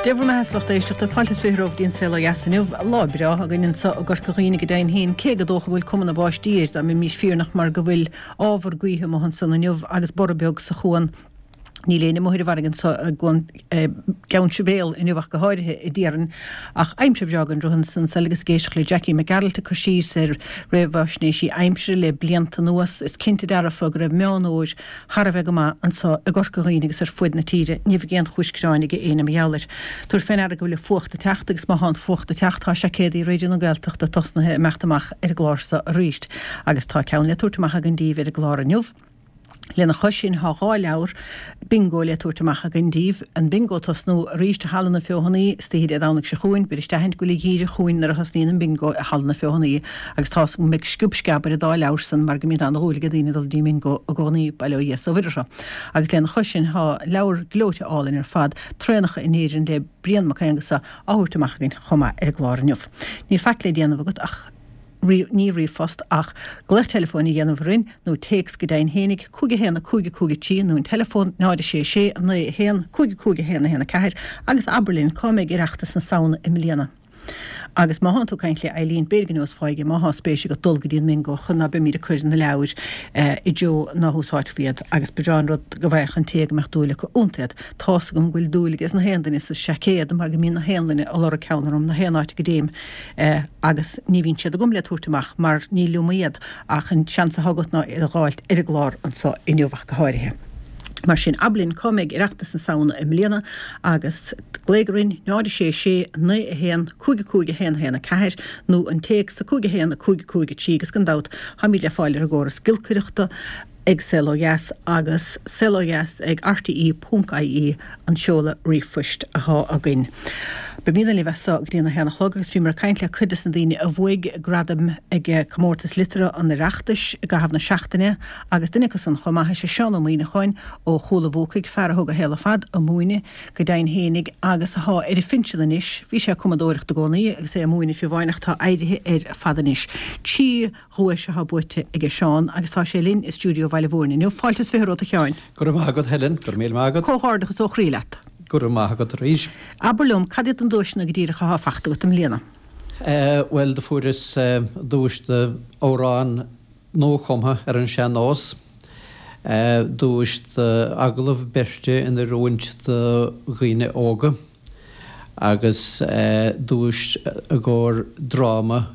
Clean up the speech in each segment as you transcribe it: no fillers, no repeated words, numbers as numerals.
Dé bhur mbeatha a lucht éisteachta, fáilte is 20 romhaibh go dtí an Saol Ó Dheas inniu. Lá breá againn anseo i gCorca Dhuibhne go deimhin féin, cé gur dócha go bhfuil cuma na báistí air, dá mbeimis fírinneach mar go bhfuil ábhar gaoithe amuigh ansan inniu agus borradh beag sa chuan. Níl éinne amuigh ar an bhfarraige anseo i gCeann Sibéal inniu ach go háirithe a déarfainn. Ach aimsir bhreá den scoth ansan agus ag éisteacht le Jackie Mac Gearailt ag cur síos ar réamhaisnéisí aimsire le blianta anuas, is cinnte dearfa go raibh Meán Fhómhair thar a bheith go maith anseo i gCorca Dhuibhne agus ar fuaid na tíre. Ní bheidh aon chúis gearáin ag éinne mar gheall air. Tabhair fé ndeara go bhfuil an fuacht ag teacht agus má thá an fuacht ag teacht tá seaicéadaí Raidió na Gaeltachta tosnaithe ag imeacht amach ar an gclár seo arís agus tá ceann le tabhairt amach againn díbh ar an gclár inniu. Lena chois sin thá 2 leabhar Bingo le tabhairt amach againn díbh. An Bingo ag tosnú arís i Halla na Feothanaí istoíche Dé Domhnaigh seo chugainn. Beidh isteach go bhfuil a dhíreach chugainn nuair a thosnaíonn an Bingo i Halla na Feothanaí agus tá's agam go mbeidh sciob sceab ar an dá leabhar san mar go mbíonn ana-dhúil ag daoine dul dtí an mBingo i gcónaí, bail ó Dhia 's ó Mhuire orthu. Agus lena chois sin thá leabhar gleoite álainn ar fad, Traenacha in Éirinn le Brian Mac Aonghusa á thabhairt amach againn chomh maith ar an gclár inniu. Níl faic le déanamh agat ach. ní ríomhphost ach glaoch teileafóin a dhéanamh orainn nó téacs go deimhin fhéinig, 5 1 5 5 3 nó an teileafón 0 6 6 9 1 5 5 1 1 4 agus abair linn cá mbeidh Oireachtas na Samhna i mbliana. Agus má thánn tú ag caint le Eileen, b'fhéidir go neosfá di má thá spéis agat dul go dtí an mBingo chun ná beimíd ag cur na leabhair i dtreo ná húsáidfí iad agus ba bhreá an rud go bhfaigheadh an té go mbeadh dúil acu iontu iad. Tá's agam go bhfuil dúil aige na haon duine sa seaicéad mar go mbíonn na haon duine ag lorg ceann orm na haon áit go dtéim. agus ní bhíonn siad agam le tabhairt amach mar ní liom iad ach an seans atá agat ná iad a dh'fháilt ar an gclár anso inniu ach go háirithe. Mar sin, abair linn cá mbeidh Oireachtas na Samhna i mbliana agus glaoigh orainn, 0 6 6 9 1 5 5 1 1 4 nó an téacs 5 1 5 5 3 agus gan dabht táimid le fáil ar an gcóras giolcaireachta ag Saol Ó Dheas agus Saol Ó Dheas ag rte ponc ie an seoladh ríomhphoist athá againn. Beimídne libh as so go dtí an 1 a chlog agus bhíomar ag caint le cuid des na daoine a bhuaigh gradaim ag Comórtas Liteartha an Oireachtais i gcaitheamh na seachtaine agus duine acu san chomh maith is ea Seán Ó Muíneacháin ó Chúil a' Bhuacaigh, fear a thug a shaol ar fad ag múineadh go deimhin fhéinig agus athá ar a phinsean anois. Bhí sé ag cumadóireacht i gcónaí agus é ag múineadh fiú amháin ach tá éirithe air ar fad anois. 3 dhuais atá buaite aige Seán agus tá sé linn i stiúideo Bhaile Mhúirne inniu. Fáilte is 20 romhat a Sheáin. Go raibh maith agat Helen, go raibh míle maith agat. Comhghairdeachas ó chroí leat. Go raibh maith agat arís. Abair liom, cad iad na duaiseanna go díreach athá fachta agat i mbliana? Bhuel, do fuaireas duais d'amhrán nuachumtha ar an sean-nós, duais d'agallamh beirte in oiriúint do dhaoine óga agus duais i gcomhair dráma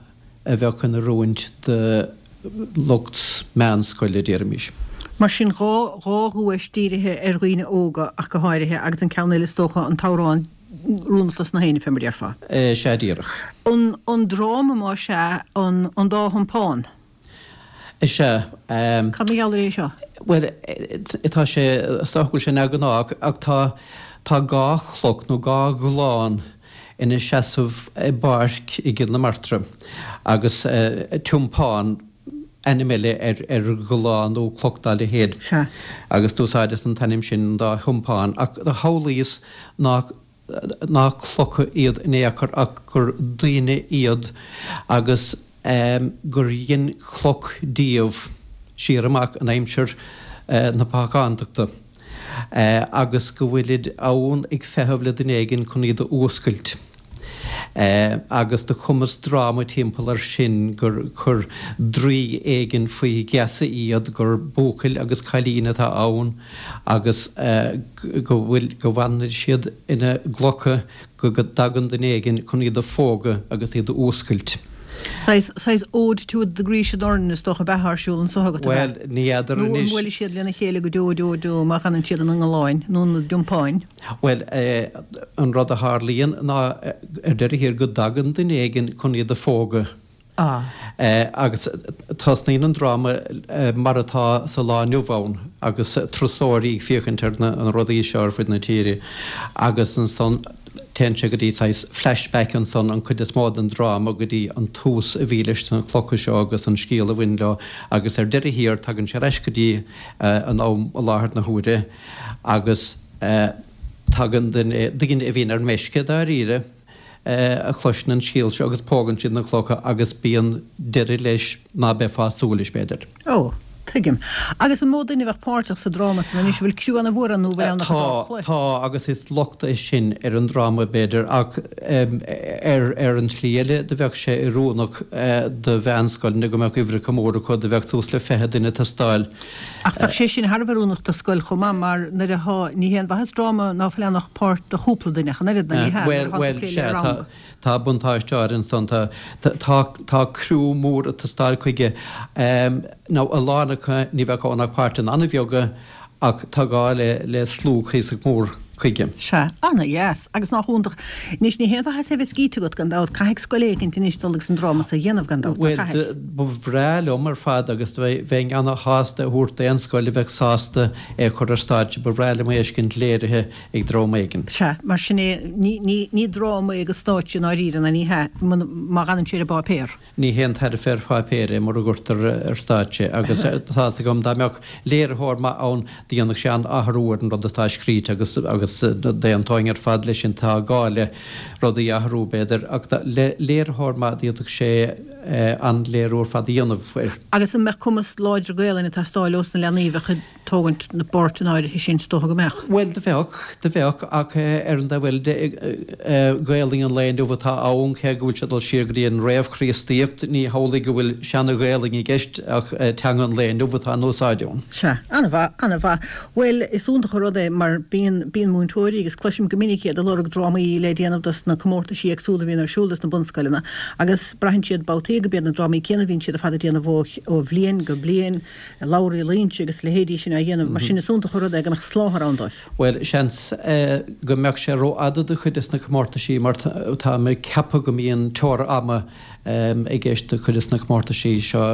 a bheadh in oiriúint do lucht meánscoile, déarfaimis. Mar sin, 2 dhuais dírithe ar dhaoine óga ach go háirithe, agus an ceann eile is dócha, an t-amhrán Rún a Chlos na hAoine, fé mar déarfá. Sea, díreach. An dráma, más ea, An Dá Thiompán. Is ea. Cad mar gheall air é seo? Bhuel, tá sé, is dócha go bhfuil sé neamhghnách, ach tá, tá 2 chloch nó 2 ghallán ina seasamh i bpáirc i gCill na Martra agus tiompán, ainm eile ar ar ghallán nó cloch dá leithéid, agus d'úsáideas an t-ainm sin, an dá thiompán, ach do shamhlaíos nach nach clocha iad in aon chor ach gur daoine iad agus gur dhein cloch díobh siar amach in aimsir na págántachta agus go bhfuilid ann ag feitheamh le duine éigin chun iad a fhuascailt. Agus do chumas dráma timpeall air sin gur chuir draoi éigin faoi gheasa iad, gur buachaill agus cailín atá ann agus go bhfuil, go bhfanann siad ina gclocha go dtagann duine éigin chun iad a phógadh agus iad a fhuascailt. Saghas, saghas Ode to the Grecian Urn is dócha ab ea atá ar siúl anso agat, ab ea? Bhuel, ní fheadar anois. Nó an mbuailfidh siad lena chéile go deo deo deo má fhanann siad ina ngalláin nó ina dtiompáin? Bhuel, an rud a tharlaíonn ná ar deireadh thiar go dtagann duine éigin chun iad a phógadh. Agus tosnaíonn an dráma mar atá sa lá inniu ann agus turasóirí ag féachaint ar na rudaí seo ar fud na tíre agus ansan téann sé go dtí saghas flashback ansan an chuid is mó den dráma go dtí an tús a bhí leis na clocha seo agus an scéal a bhain leo agus ar deireadh thiar tagann sé ar ais go dtí an am i láthair na huaire agus tagann duine, daoine a bhíonn ar meisce dáiríre, a chloiseann an scéal seo agus pógann siad na clocha agus bíonn deireadh leis ná beifeá ag súil leis, b'fhéidir. Ó! Tuigim. Agus an mó duine a bheadh páirteach sa dráma san anois, an bhfuil criú ana mhór ann nó an bhfuil ann ach an dá Tá, chloich? tá, agus is locht é sin ar an dráma b'fhéidir, ach ar ar an tslí eile do bheadh sé oiriúnach do mheánscoileanna go mbeadh uimhreacha móra acu, do bheadh suas le 20 duine ag teastáil. Ach bheadh sé sin thar a bheith oiriúnach do scoil chomh maith mar nuair atá, ní haon mhaitheas dráma ná fuil ann ach páirt do chúpla duine ach an oiread, nó ní hea, nuair atá tú ag plé le rang. Tá buntáiste áirithe ansan. Tá, tá, tá criú mór ag teastáil chuige. Nó a lán acu, ní bheadh ann ach páirteanna an-bheaga ach tá gá le, le slua cuíosach mór chuige. Sea. Ana-dheas. Agus nách iontach. Anois, ní haon mhaitheas é bheith scíte agat, gan dabht. Caithfidh scoil éicint anois dul agus an dráma so a dhéanamh, gan dabht, ná Bhuel, caithfidh? ba bhreá liom ar fad agus bheinn ana-shásta é a thabhairt d'aon scoil a bheadh sásta é a chur ar stáitse. Ba bhreá liom é a fheiscint léirithe ag dream éigin. Sea, mar sin é, ní, ní, ní dráma é go stáitse i ndáiríre, ná ní hea, muna, má dh'fhanann sé ar an bpáipéar. Ní haon tairbhe ar pháipéar é mura gcuirtear ar stáitse é, agus tá's agam, dá mbeadh léiritheoir maith ann, do dhéanfadh sé an-athrú ar an rud atá scríte agus, agus d'aontóinn ar fad leis sin, tá gá le rudaí a athrú, b'fhéidir, ach le léiritheoir maith, d'fhéadfadh sé an-léiriú ar fad a dhéanamh air. Agus an mbeadh cumas láidir Gaelainne ag teastáil ós na leanaí a bheadh ag. tógaint na bpáirt in áirithe sin, is dócha go mbeadh. Bhuel, do bheadh, do bheadh, ach ar an dtaobh eile de, Gaelainn an lae inniu atá ann, cé go bhfuil sé ag dul siar go dtí an réamh-Chríostaíocht, ní hamhlaidh go bhfuil seana-Ghaelainn i gceist ach teanga an lae inniu atá in úsáid ann. Sea, an-mhaith, an-mhaith. Bhuel, is iontach an rud é mar bíonn, bíonn múinteoirí agus cloisim go minic iad ag lorg drámaí le déanamh dos na comórtaisí éagsúla a bhíonn ar siúl dos na bunscoileanna agus braitheann siad babhtaí go b'iad na drámaí céanna a bhíonn siad ar fad ag déanamh ó, ó bhliain go bliain. Labhraí Loingsigh agus a leithéidí sin á dhéanamh, mar sin is iontach an rud é go mbeadh soláthar ann dóibh. Bhuel, seans go mbeadh sé rófhada do chuid des na comórtaisí mar táim ag ceapadh go mbíonn teora ama i gceist do chuid des na comórtaisí seo,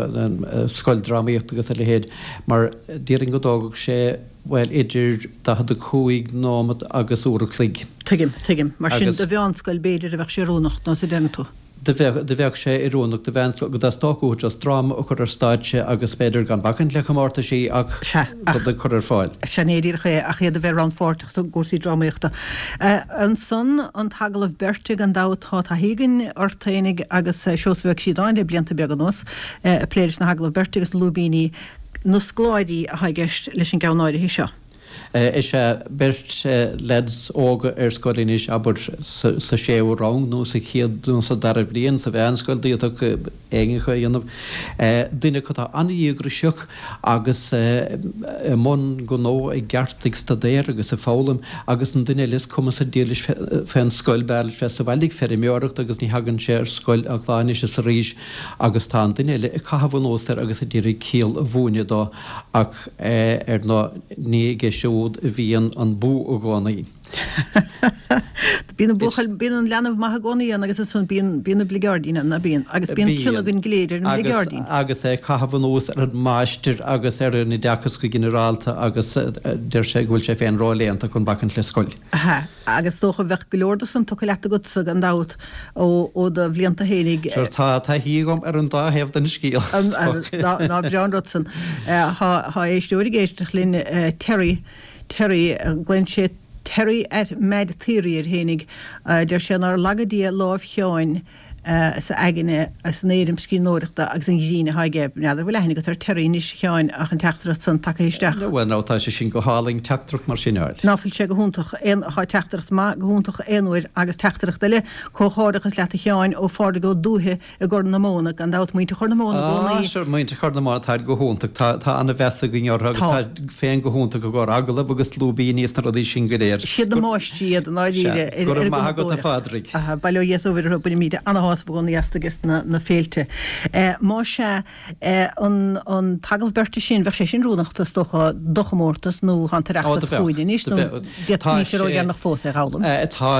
scoildrámaíocht agus a leithéid, mar déarfainn go dtógfadh sé, bhuel, idir 45 nóimeat agus uair a chloig. Tuigim, tuigim. Mar sin do mheánscoil b'fhéidir a bheadh sé oiriúnach, nó a deireann tú? Do bheadh, do bheadh sé oiriúnach do mheánscoil go dteastódh uathu just dráma a chur ar stáitse agus b'fhéidir gan bacaint le comórtaisí ach Sea, ach. rud a chur ar fáil. Sin é díreach é, ach iad a bheith rannpháirteach i gcúrsaí drámaíochta. Ansan, an t-agallamh beirte, gan dabht, tá taithí againn ort fhéinig agus Seosamh Ó Críodáin le blianta beaga anuas, ag plé leis na hagallaimh beirte agus na lúibíní, na scoláirí atá i gceist leis an gceann áirithe seo. Is ea, beirt leaids óga ar scoil anois, abair, sa séú rang nó sa chéad nó sa dara bliain sa mheánscoil, d'fhéadfadh éinne acu é a dhéanamh. Duine acu atá an-dhíograiseach agus i mbun gnó i gceart, ag staidéar agus ag foghlaim, agus an duine eile is cuma sa diabhal leis fén scoil, b'fhearr leis bheith sa bhaile ag feirmeoireacht agus ní thagann sé ar scoil ach lá anois is arís agus tá an duine eile ag caitheamh anuas air agus ag iarraidh ciall a mhúineadh dó ach ar ndóigh ní aige siúd a bhíonn an bua i gcónaí. Bíonn an buachaill, bíonn an leanbh maith i gcónaí ann agus ansan bíonn, bíonn an bligeáirdín ann, ná bíonn? Agus bíonn cion againn go léir ar an mbligeáirdín. Agus é ag caitheamh anuas ar an máistir agus ar an oideachas go ginearálta agus deir sé go bhfuil sé féin róléannta chun bacaint le scoil. Aha. Agus is dócha bheadh go leor de san tugtha leat agatsa gan dabht ó ó do bhlianta fhéinig. Sure, tá taithí agam ar an dá thaobh den scéal, is dócha. Ná breá an rud san. Tá éisteoir ag éisteacht linn, Terry, Terry, glaonn sé Terry at Mad Theory air fhéinig, deir sé nár laga Dia lámh Sheáin, sa aigne, san éirim scríbhneoireachta agus an ghrinn atá aige. N'fheadar an bhfuil aithne agat ar Terry anois, a Sheáin, ach an teachtaireacht san tagtha isteach. Bhuel now, tá sé sin go hálainn, teachtaireacht mar sin a fháil. Ná fuil sé go hiontach? Aon, tá teachtaireacht maith go hiontach aon uair agus teachtaireacht eile, Comhghairdeachas leat a Sheáin, ó Phádraig Ó Dúiche i gCorr na Móna, gan dabht muintir Chorr na Móna i gcónaí. Ah, sure, muintir Chorr na Móna, táid go hiontach, tá, tá ana-mheas againn orthu agus tá féin go hiontach i gcomhair agallamh agus lúibíní is na rudaí sin go léir. Siad na máistrí iad i ndáiríre ar Go raibh maith agat a Phádraig. Aha, bail ó Dhia is ó Mhuire orthu, bainimid ana-shásamh i gcónaí astu agus na féilte. Más ea, an an t-agallamh beirte sin, bheadh sé sin oiriúnach is dócha do chomórtas nó tá an tOireachtas chugainn anois nó níl sé ródheireanach fós é a dh'fhoghlaim. Tá,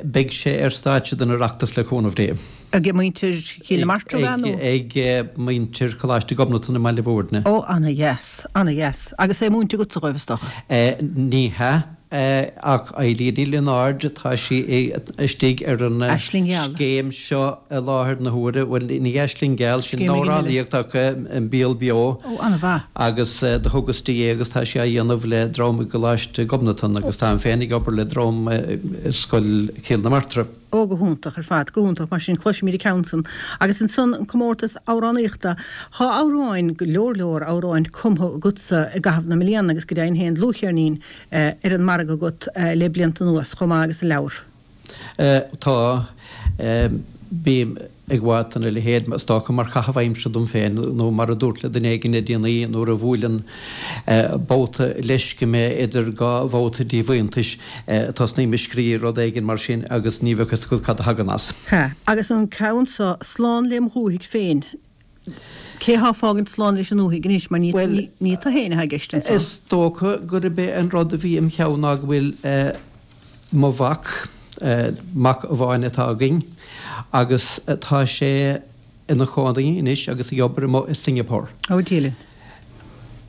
beidh sé ar stáitse don Oireachtas le cúnamh Dé. Ag muintir Chill na Martra ab ea nó? Ag muintir Choláiste Ghobnatan i mBaile Bhúirne. Ó, ana-dheas, ana-dheas. Agus é múinte agatsa dhóibh is dócha? Ní hea. Ach Eilín Ní Lionáird, tá sí istigh ar an scéim seo i láthair na huaire, bhuel, ní Aisling Gheal, sin amhránaíocht ach An Béal Beo. Ó, an-mhaith. Agus do thugas di é agus tá sí á dhéanamh le dream i gColáiste Ghobnatan agus táim féin ag obair le dream i Scoil Chill na Martra. Ó, go hiontach ar fad, go hiontach. Mar sin, cloisfimid an ceann san. Agus ansan, an comórtas amhránaíochta. Tá amhráin, go leor leor amhráin cumtha agatsa i gcaitheamh na mbliana agus go deimhin féin dlúthcheirnín ar an margadh agat le blianta anuas chomh maith agus an leabhar. Tá. Bím ag gabháil dona leithéid, is dócha, mar chaitheamh aimsire dom féin, nó mar a dúrt le duine éigin le déanaí, nuair a bhuaileann babhta leisce mé idir dhá bhabhta díomhaointis, tosnaím ag scríobh rud éigin mar sin agus ní bheadh fhios agat cad a thagann as. Sea, agus an ceann seo, Slán lem dhúthaigh féin. Cé thá ag fágaint slán leis an ndúthaigh anois, mar ní ní tú féin atá i gceist anso. Is dócha gurb é an rud a bhí im cheann ná go bhfuil mo mhac, mac amháin atá againn, agus tá sé ina chónaí anois agus ag obair amuigh i Singapore. Ó, Dia linn.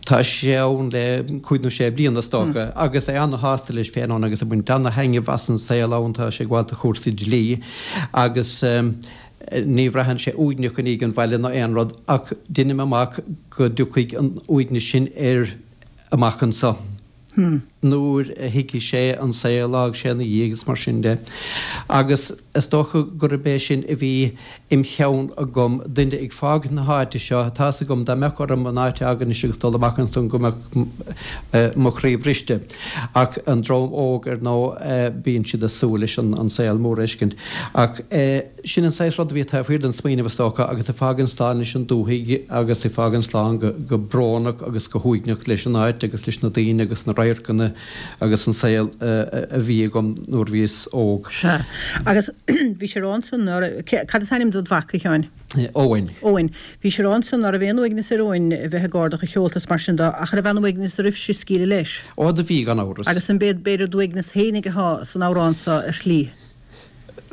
Tá sé ann le cúig nó sé bliana is dócha agus é ana-shásta leis féin ann agus ag baint ana-thaitneamh as an saol ann, tá sé ag gabháil do chúrsaí dlí agus ní bhraitheann sé uaigneach i ndiaidh an bhaile ná aon rud ach deinim amach go dtiocfaidh an uaigneas sin air amach anso nuair a thuigfidh sé an saol a d'fhág sé ina dhiaidh agus mar sin de. Agus is dócha gurb é sin a bhí im cheann agam, duine ag fágaint na háite seo, tá's agam dá mbeadh orm an áit a fhágaint anois agus dul amach ansan go mbeadh mo chroí briste. Ach an dream óg, ar ndóigh, bíonn siad ag súil leis an saol mór a fheiscint. Ach sin an saghas rud a bhí taobh thiar den smaoineamh, is dócha, agus ag fágaint slán leis an dúthaigh agus ag fágaint slán go brónach agus go huaigneach leis an áit agus leis na daoine agus na radharcanna agus an saol a bhí agam nuair a bhíos óg. Sea. Agus bhís ag rá ansan ná raibh, cad is ainm dod mhac, a Sheáin? Eoin. Eoin. Bhís ag rá ansan ná raibh aon uaigneas ar Eoin a bheith ag ardach a sheolta is mar sin de, ach raibh aon uaigneas oraibhse scaoileadh leis. Ó do bhí, gan amhras. Agus an b'é, b'fhéidir d'uaigneas fhéinig athá san amhrán so ar shlí?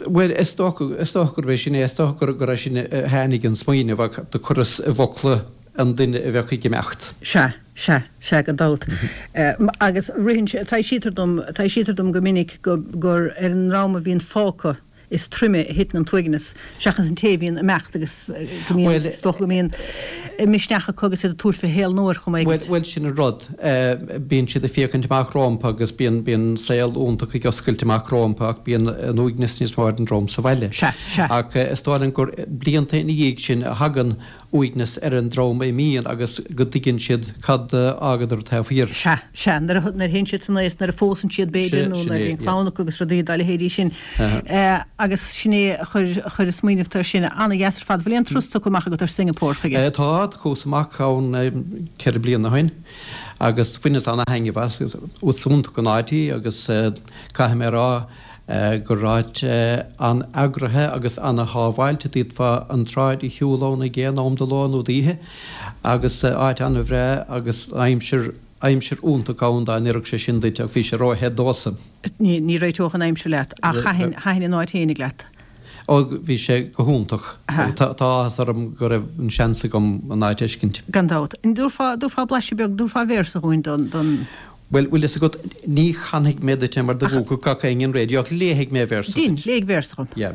Bhuel, is dócha, is dócha gurb é sin é, is dócha gur, gur as sin a tháinig an smaoineamh ach do chuireas i bhfocla an duine a bheadh ag imeacht. Sea, sea, sea, gan dabht. Agus ritheann sé, taibhsítear dom, taibhsítear dom go minic go, gur ar an ndream a bhíonn fágtha, is troime a thiteann an t-uaigneas seachas an té a bhíonn ag imeacht agus go mbíonn, is dócha go mbíonn misneach acu agus iad ag tabhairt fé shaol nua ar chuma éigin. Bhuel, sin an rud. Bíonn siad ag féachaint amach rómpa agus bíonn, bíonn saol iontach ag oscailt amach rómpa ach bíonn an uaigneas níos mó ar an dream sa bhaile. Sea, sea. Ach is dóigh liom gur blianta ina dhiaidh sin a thagann uaigneas ar an dream a imíonn agus go dtuigeann siad cad a fhágadar taobh thiar. Sea, sea, nuair a théann siad san aos, nuair a phósann siad b'fhéidir, nó nuair a bhíonn clann acu agus rudaí dá leithéidí sin. Agus sin é a chuir, a chuir an smaoineamh air sin. Ana-dheas ar fad. Bhfuil aon turas tugtha amach agat ar Singapore chuige? Tá, chuas amach ann 4 bliana ó shin agus bhaineas ana-thaitneamh as. Is iontach an áit í agus caithfidh mé a rá, gur áit an-eagraithe agus an-shábháilte, d'fhéadfá an tsráid a shiúl ann ag aon am de ló nó d'oíche agus áit an-bhreá agus aimsir, aimsir iontach ann dá n-oirfeadh sé sin duit ach bhí sé ró-the domhsa. Ní réiteodh an aimsir leat ach thaitin, thaitin an áit fhéinig leat? Ó bhí sé go hiontach. Tá áthas orm go raibh an seans agam an áit a fheiscint. Gan dabht. An dtabharfá, dtabharfá blaiseadh beag, dtabharfá véarsa dhúinn don, don. Bhuel, bhfuil fhios agat, ní chanfaidh mé duit é mar do mhúchfadh gach éinne an raidió ach léifidh mé véarsa duit. Dein, léigh véarsa dhom. Yeah.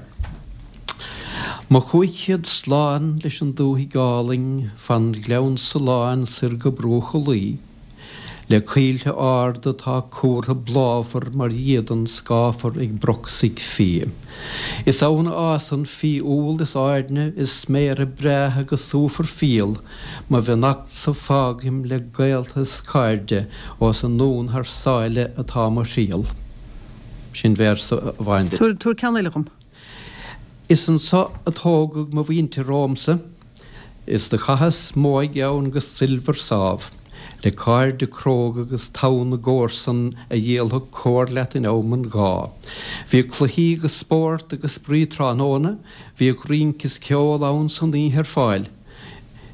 Mo chúig chéad slán leis an dúthaigh álainn fan Ghleann Tsuláin soir go bruach an Laoi, le coillte arda atá cúrtha bláfar mar dhíodan scáfar ag broc 's ag fiaigh. Is ann a fhásann fiadhúl is airne is sméara breátha go súfar fial, Mo bheannachtsa fágaim le gaolta is cairde ós anonn thar sáile atá mo thriall. Sin véarsa amháin duit. Tabhair ceann eile dhom. Is anso a tógadh mo mhuintir romhamsa, is do chaitheas m'óige ann go soilbhir sámh, le cairde cróga agus togha na gcomharsan a dhíolfadh comhar leat in am an ghá. Bhíodh cluichí agus spórt agus spraoi tráthnóna, bhíodh rince is ceol ann san oíche ar fáil.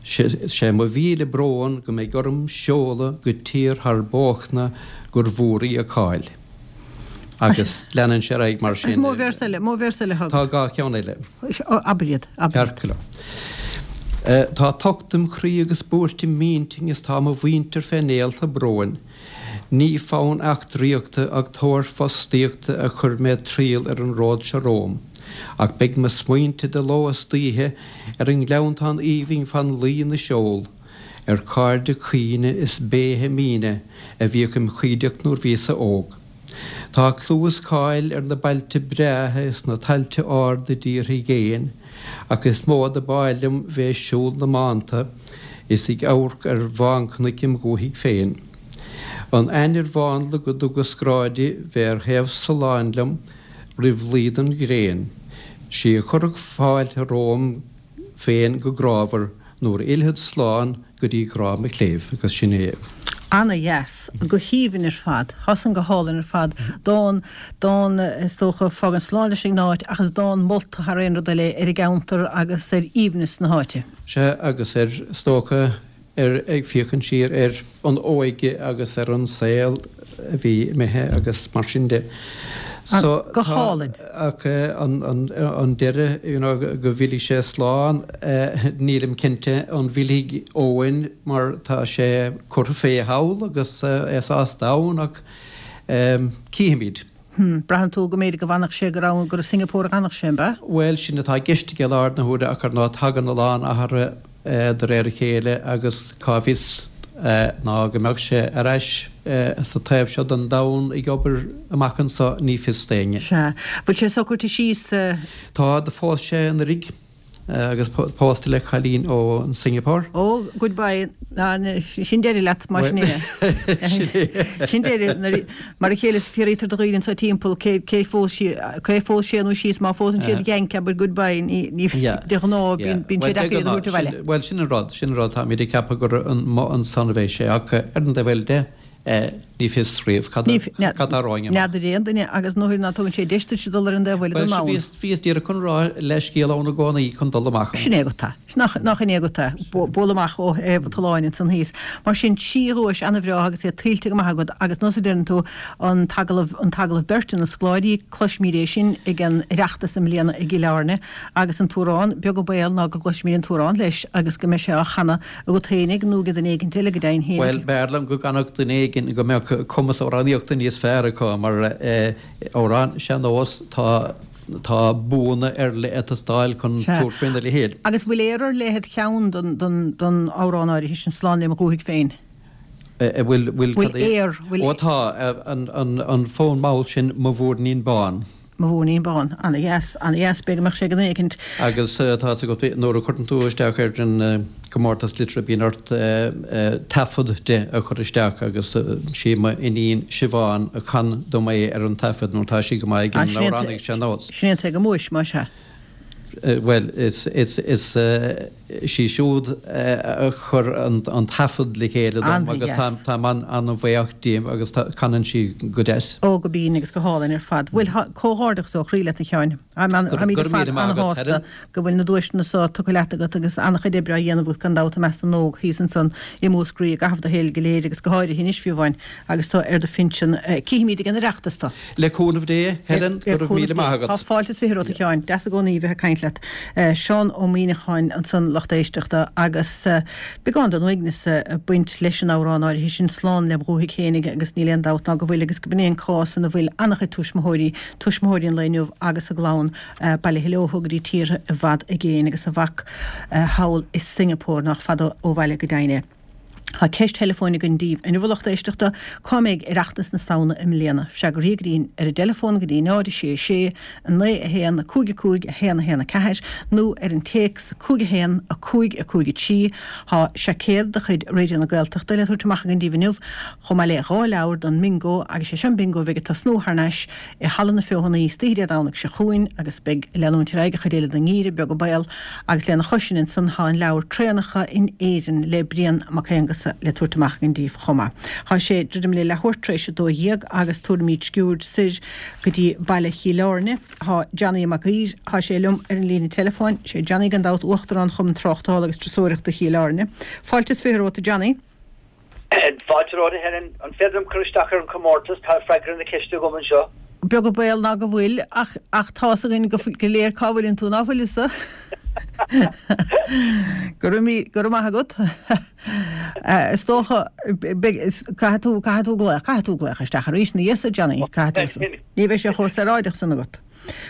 'Sé mo mhíle brón go mbeidh orm seoladh go tír thar bóchna gur mhór í a cáil. Agus leanann sé ar aghaidh mar sin. Is mó véarsa eile, mó véarsa eile agat. Tá dhá cheann eile. Abair iad, abair iad. Ceart go leor. Tá tocht im chroí agus buairt im intinn is tá mo mhuintir fé néalta bróin. Ní fonn eachtraíochta ach tóir fostaíochta a chuir mé triall ar an ród seo romham. Ach beidh mo smaointe de ló is d'oíche ar an ngleanntán aoibhinn fan Laoi na Seol, ar chairde caoine is béithe míne a bhíodh im chuideacht nuair bhíos-sa óg. Tá clú is cáil ar na bailte breátha is na tailte arda i dtíortha i gcéin, ach is mó do b'áil liom bheith ag siúl na mbánta is ag amharc ar bhánchnoic im dhúthaigh féin. An ainnir mhánla go dtugas grá di bheith ar thaobh soláin liom roimh luí don ghréin, 'sí a chuirfeadh fáilte romham féin go grámhar nuair a fhillfead slán go dtí grá mo chléibh, agus sin é. Ana dheas. Go haoibhinn ar fad. Tá san go hálainn ar fad. Dán, dán is dócha, fágann slán leis an áit ach is dán molta thar aon rud eile ar an gceantar agus ar aoibhneas na háite. Sea, agus ar, is dócha, ar, ag féachaint siar ar an óige agus ar an saol a bhí imithe agus mar sin de. So, Go hálainn. Ach an deireadh, you know, go bhfillfidh sé slán, nílim cinnte an bhfillfidh Eoin mar tá sé curtha fé thall agus é sásta ann ach cífimid. Hm, braitheann tú go mb'fhéidir go bhfanfadh sé gur ann, gur i Singapore a dh'fhanfadh sé, an b'ea? Bhuel, sin atá i gceist aige i láthair na huaire ach ar ndóigh tagann a lán athruithe de réir a chéile agus cá bhfios ná go mbeadh sé ar ais sa taobh seo den domhan ag obair amach anso, ní fios d'éinne. Sea. Bhfuil sé socraithe síos? Tá, do phós sé anuraidh. Agus pósta le cailín ó Singapore. Ó, goodbye, sin deireadh leat, mar sin é. Sin é. Sin deireadh. Mar a chéile is fiafraítear de dhaoine anseo timpeall cé cé phós sí, cé phós sé nó sí is má phósann siad Yank abair goodbye, ní, ní, de ghnáth bíonn, bíonn sé deacair iad a thabhairt abhaile. Bhuel, sin an rud, sin an rud, táimid ag ceapadh gur ansan a bheidh sé ach ar an dtaobh eile de, Ní fios riamh cad atá romhainn amach. N'fheadar aon duine agus nuair ná tugann sé deis duit dul ar an dtaobh eile den domhan. Bhuel, bhíos díreach chun rá leithscéal ann i gcónaí chun dul amach ann. Sin é agat é. Nach in é agat é. Bualadh amach ó thaobh an tolláin ansan thíos. Mar sin, trí dhuais ana-bhreá agus iad tuillte go maith agat agus nós a deireann tú, an t-agallamh, an t-agallamh beirte na scoláirí, cloisfimid é sin ag an Oireachtas i mbliana i gCill Airne agus an t-amhrán, beag an baol ná go gcloisfimid an t-amhrán leis agus go mbeidh sé á chanadh agat fhéinig nó ag duine éigint eile go deimhin fhéinig. Bhuel, b'fhearr liom go gcanfadh duine éigin go mbeadh cumas amhránaíochta níos fearr acu mar amhrán sean-nós tá tá buanna ar leith ag teastáil chun tabhairt faoina leithéid. Agus bhfuil aor ar leith id cheann don don don amhrán áirithe sin, Slán lem dhúthaigh féin? Bhfuil bhfuil cad é? Bhfuil aor, bhfuil. Ó tá, an an an fonn mall sin Mo Mhúirnín Bán. Mo Mhúirnín Bán. Ana-dheas, ana-dheas. B'fhéidir go mbeadh sé ag duine éicint. Agus tá fhios agat, nuair a chuireann tú isteach ar an gcomórtas liteartha bíonn ort taifead de a chur isteach agus sí mo iníon Siobhán a chan dom é ar an taifead nó tá sí go maith ag an amhránaíocht sean-nós. Sin é an té go mbuais, más ea. Bhuel, is sí siúd a chuir an taifead le chéile dom agus táim an-bhuíoch di agus canann sí go deas. Ó, go binn agus go hálainn ar fad. Bhuel, comhghairdeachas ó chroí leat, a Sheáin. Táimid ar fad an-shásta go bhfuil na duaiseanna so tugtha leat agat agus an-chuid oibre á dhéanamh agat gan dabht i measc na n-óg thíos ansan i Múscraí i gcaitheamh do shaoil go léir agus go háirithe anois fiú amháin agus tú ar do phinsean. Cífimid ag an Oireachtas tú. Le cúnamh Dé, Helen, go raibh míle maith agat. Tá fáilte is 20 romhat, a Sheáin. Deas i gcónaí bheith ag caint leat. Seán Ó Muíneacháin ansan, lucht éisteachta, agus beagán den uaigneas ag baint leis an amhrán áirithe sin, Slán lem dhúthaigh fhéinig, agus níl aon dabht ná go bhfuil, agus go b'in é an cás ina bhfuil an-chuid tuismitheoirí, tuismitheoirí an lae inniu agus a gclann bailithe leo go dtí tíortha i bhfad i gcéin agus a mhac thall i Singapore, nách fada ó bhaile go deimhin é. Tá ceist theileafóin againn daoibh inniu a lucht éisteachta, cá mbeidh Oireachtas na Samhna i mbliana? Freagraí go dtí ar an dteileafón go dtí 0 6 6 9 1 5 5 1 1 4 nó ar an téacs 5 1 5 5 3. Tá seaicéad de chuid Raidió na Gaeltachta le tabhairt amach againn daoibh inniu, chomh maith le dhá leabhar don mBingo agus sé seo an Bingo a bheidh ag tosnú thar n-ais i Halla na Feothanaí istoíche Dé Domhnaigh seo chugainn agus beidh ag leanúint ar aghaidh an chuid eile den ngeimhreadh, beag an baol, agus lena chois sin ansan tá an leabhar Traenacha in Éirinn le Brian Mac Aonghusa le tabhairt amach againn daoibh chomh maith. Tá sé druidim le leathuair tar éis 12 agus tabharfaimid sciuird soir go dtí baile Chill Airne. Tá Johnny Mac Uidhir, tá sé liom ar an líne teileafóin, sé Johnny gan dabht Uachtarán Chumann Tráchtála agus Turasóireachta Chill Airne. Fáilte is 20 romhat a Johnny. Fáilte romhat, a Helen. An féidir liom cur isteach ar an chomórtas? Tá freagra na ceiste agam anseo. Beag an baol ná go bhfuil, ach ach tá's againn go go léir cá bhfuileann tú, ná fuil fhios? Go raibh go raibh maith agat. Is dócha, caithfidh tú, caithfidh tú glaoch, caithfidh tú glaoch isteach arís ina dhiaidh so, Johnny, caithfidh tú. Ní bheidh sé chomh saoráideach san agat.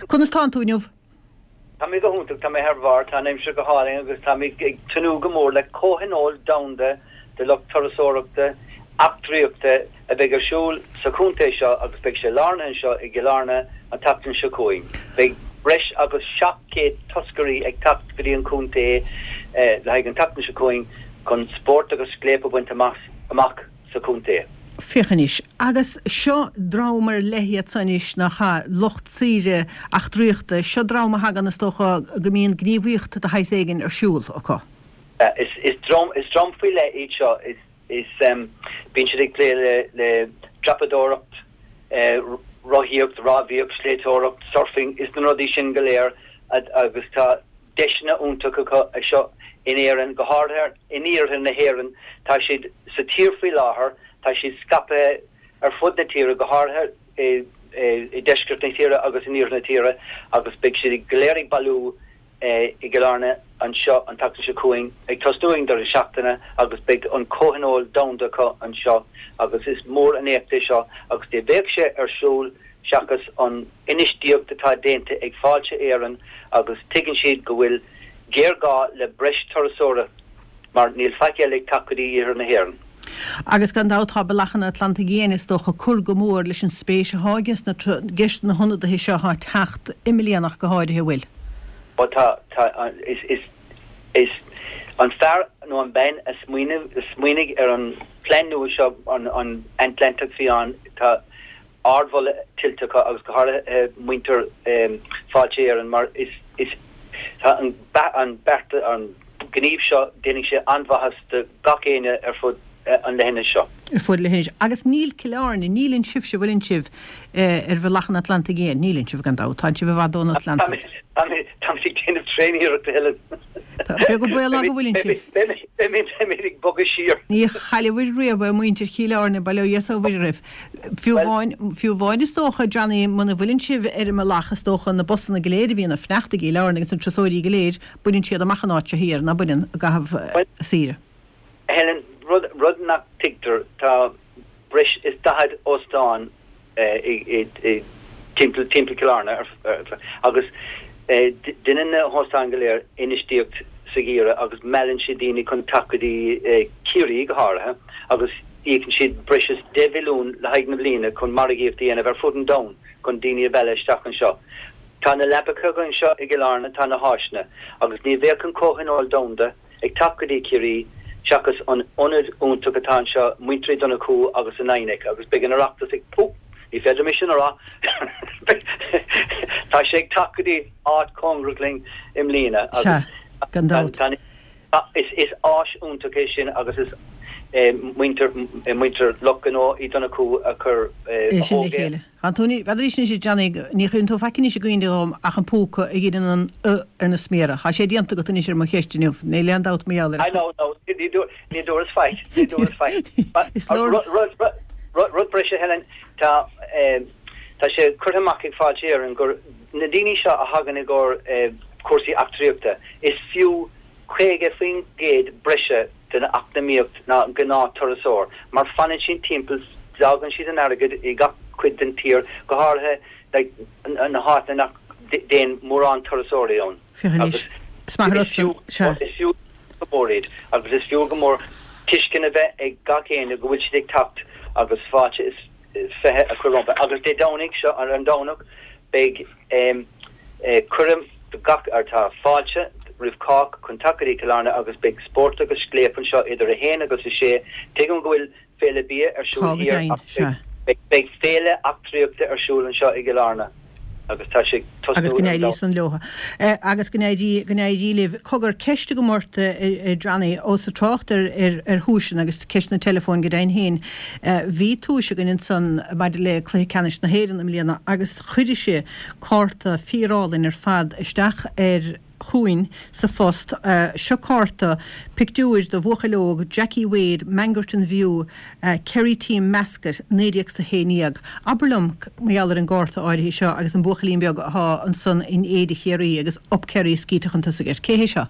Conas tánn tú inniu? Tá mé go hiontach, tá mé thar barr, tá an aimsir go hálainn agus táimid ag tnúth go mór le comhthionól domhanda de lucht turasóireachta, eachtraíochta a bheidh ar siúl sa chontae seo agus beidh sé lárnaithe anseo i gCill Airne an tseachtain seo chugainn. Beidh breis agus 700 toscairí ag teacht go dtí an chontae le haghaidh an tseachtain seo chugainn chun spórt agus scléip a bhaint amach sa chontae. Féach anois, agus seo dream ar leith iad so anois, nach ea, lucht saoire eachtraíochta, seo dream a thagann, is dócha, go mbíonn gníomhaíocht de shaghas éigin ar siúl acu. Is dream, is dream faoi leith iad seo, is, is, bíonn siad ag plé le, le dreapadóireacht, rothaíocht, rámhaíocht, sléibhteoireacht, surfing, is na rudaí sin go léir agus tá deiseanna iontacha acu anseo in Éirinn, go háirithe in iarthar na hÉireann. Tá siad sa tír faoi láthair, tá siad scaipthe ar fud na tíre, go háirithe i deisceart na tíre agus in iarthar na tíre agus beidh siad go léir ag bailiú i gCill Airne anseo an tseachtain seo chugainn, ag tosnú ag an deireadh seachtaine agus beidh an comhthionól domhanda acu anseo agus is mór an éacht é seo agus ní bheadh sé ar siúl seachas an infheistíocht atá déanta ag Fáilte Éireann agus tuigeann siad go bhfuil géarghá le breis turasóirí mar níl faic eile ag teacht go dtí iarthar na hÉireann. Agus gan dabht tá Bealach an Atlantaigh Fhiáin is dócha ag cur go mór leis an spéis atá ages na ges na hionadaithe seo atá ag teacht i mbliana ach go háirithe, an bhfuil? Ó tá, tá, is, is, is an fear nó an bean a smaoinigh, a smaoinigh ar an plean nua seo, an, an Atlantach Fiáin, tá, ardmholadh tuillte acu agus go háirithe muintir Fáilte Éireann mar is is tá an an beart an gníomh seo déanfaidh sé an-mhaitheas do gach éinne ar fud an leithinis seo. Ar fud leithinis. Agus níl Cill Airne, níleann sibhse, bhfuileann sibh ar Bhealach an Atlantaigh Fhiáin? Níleann sibh gan dabht, tá'n sibh i bhfad ón Atlantach. Táimid ag déanamh tréan-iarrachta Helen. Beag an baol ná go bhfuileann sibh. Beimid ag bogadh siar. Ní chaillfidh riamh é muintir Chill Airne, bail ó Dhia is ó Mhuire oraibh. Fiú amháin, fiú amháin is dócha, Johnny, muna bhfuileann sibh ar an mbealach, is dócha, na busanna go léir a bhíonn ag fanacht i gCill Airne agus na turasóirí go léir, baineann siad amach an áit seo thiar, ná baineann, i gcaitheamh saoire. Helen, rud, rud nach dtuigtear, tá breis is 40 óstán i, i, timpeall, timpeall Cill Airne agus deineann na hóstáin go léir infheistíocht sa gheimhreadh agus meallann siad daoine chun teacht go dtí Ciarraí go háirithe agus Íocann siad breis is 10 mhilliún le haghaidh na bliana chun margaíocht a dhéanamh ar fud an domhain chun daoine a mhealladh isteach anseo. Tá na leapacha againn anseo i gCill Airne, tá na háiseanna, agus ní bheadh an Comhthionól Domhanda ag teacht go dtí Ciarraí seachas an ionad iontach atá anseo, Muintir Uí Dhonnchú agus an INEC, agus beidh an Oireachtas ag, Ó, ní féidir liom é sin a rá! Tá sé ag teacht go dtí áit cóngarach linn i mbliana agus Sea, gan dabht. tá Is áis iontach é sin agus is muintir muintir lucht gnó Uí Dhonnchú a chuir é sin le chéile. Tá tú, n'fheadar anois a Johnny, ní chuireann tú faic anois i gcuimhne dhom ach an púca a dheineann an uh ar na sméara. Tá sé déanta agat anois ar mo cheist inniu. Níl aon dabht mar gheall air. I know, no, ní ní dúras faic, ní dúras faic. Is leor. Rud rud breise Helen, tá tá sé curtha amach ag Fáilte Éireann gur na daoine seo a thagann i gcomhair cúrsaí eachtraíochta, is fiú 50% breise den eacnamaíocht ná an gnáth-turasóir, mar fanann siad timpeall, d'fhágann siad an airgead i gach cuid den tír, go háirithe like na háiteanna nach dtéann mórán turasóirí ann. Féach anois. Is maith an rud san. Sea. Is fiú go mór iad agus is fiú go mór tuiscint a bheith ag gach éinne go bhfuil siad ag teacht agus fáilte is 20 a chur rompu. Agus Dé Domhnaigh seo, ar an Domhnach, beidh cuireadh do gach, ar tá fáilte roimh chách chun teacht go dtí Cill Airne agus beidh spórt agus scléip anseo idir 1 agus 6. Tuigim go bhfuil Féile Bia ar siúl Tá go thiar deimhin, ach sea. beidh féile eachtraíochta ar siúl anseo i gCill Airne agus tá sé ag tosnú Agus go ar an n-éirí Domhnach. san leo. Agus go n-éirí, go n-éirí libh. Cogar, ceist agam ort, a Johnny, ós ag trácht ar, ar, ar thuaiseanna agus ceist na teileafóin go deimhin féin. Bhí tuais againn ansan maidir le Cluiche Ceannais na hÉireann i mbliana agus chuiris-se cárta fíorálainn ar fad isteach ar. chugainn sa phost. Seo cárta, pictiúir de bhuachaill óg, Jackie Wade, Mangerton View, Kerry Team Mascot, 1911. Abair liom mar gheall ar an gcárta áirithe seo agus an buachaillín beag athá ansan in éide Chiarraí agus Up Kerry scríte chun tosaigh air. Cé hé seo?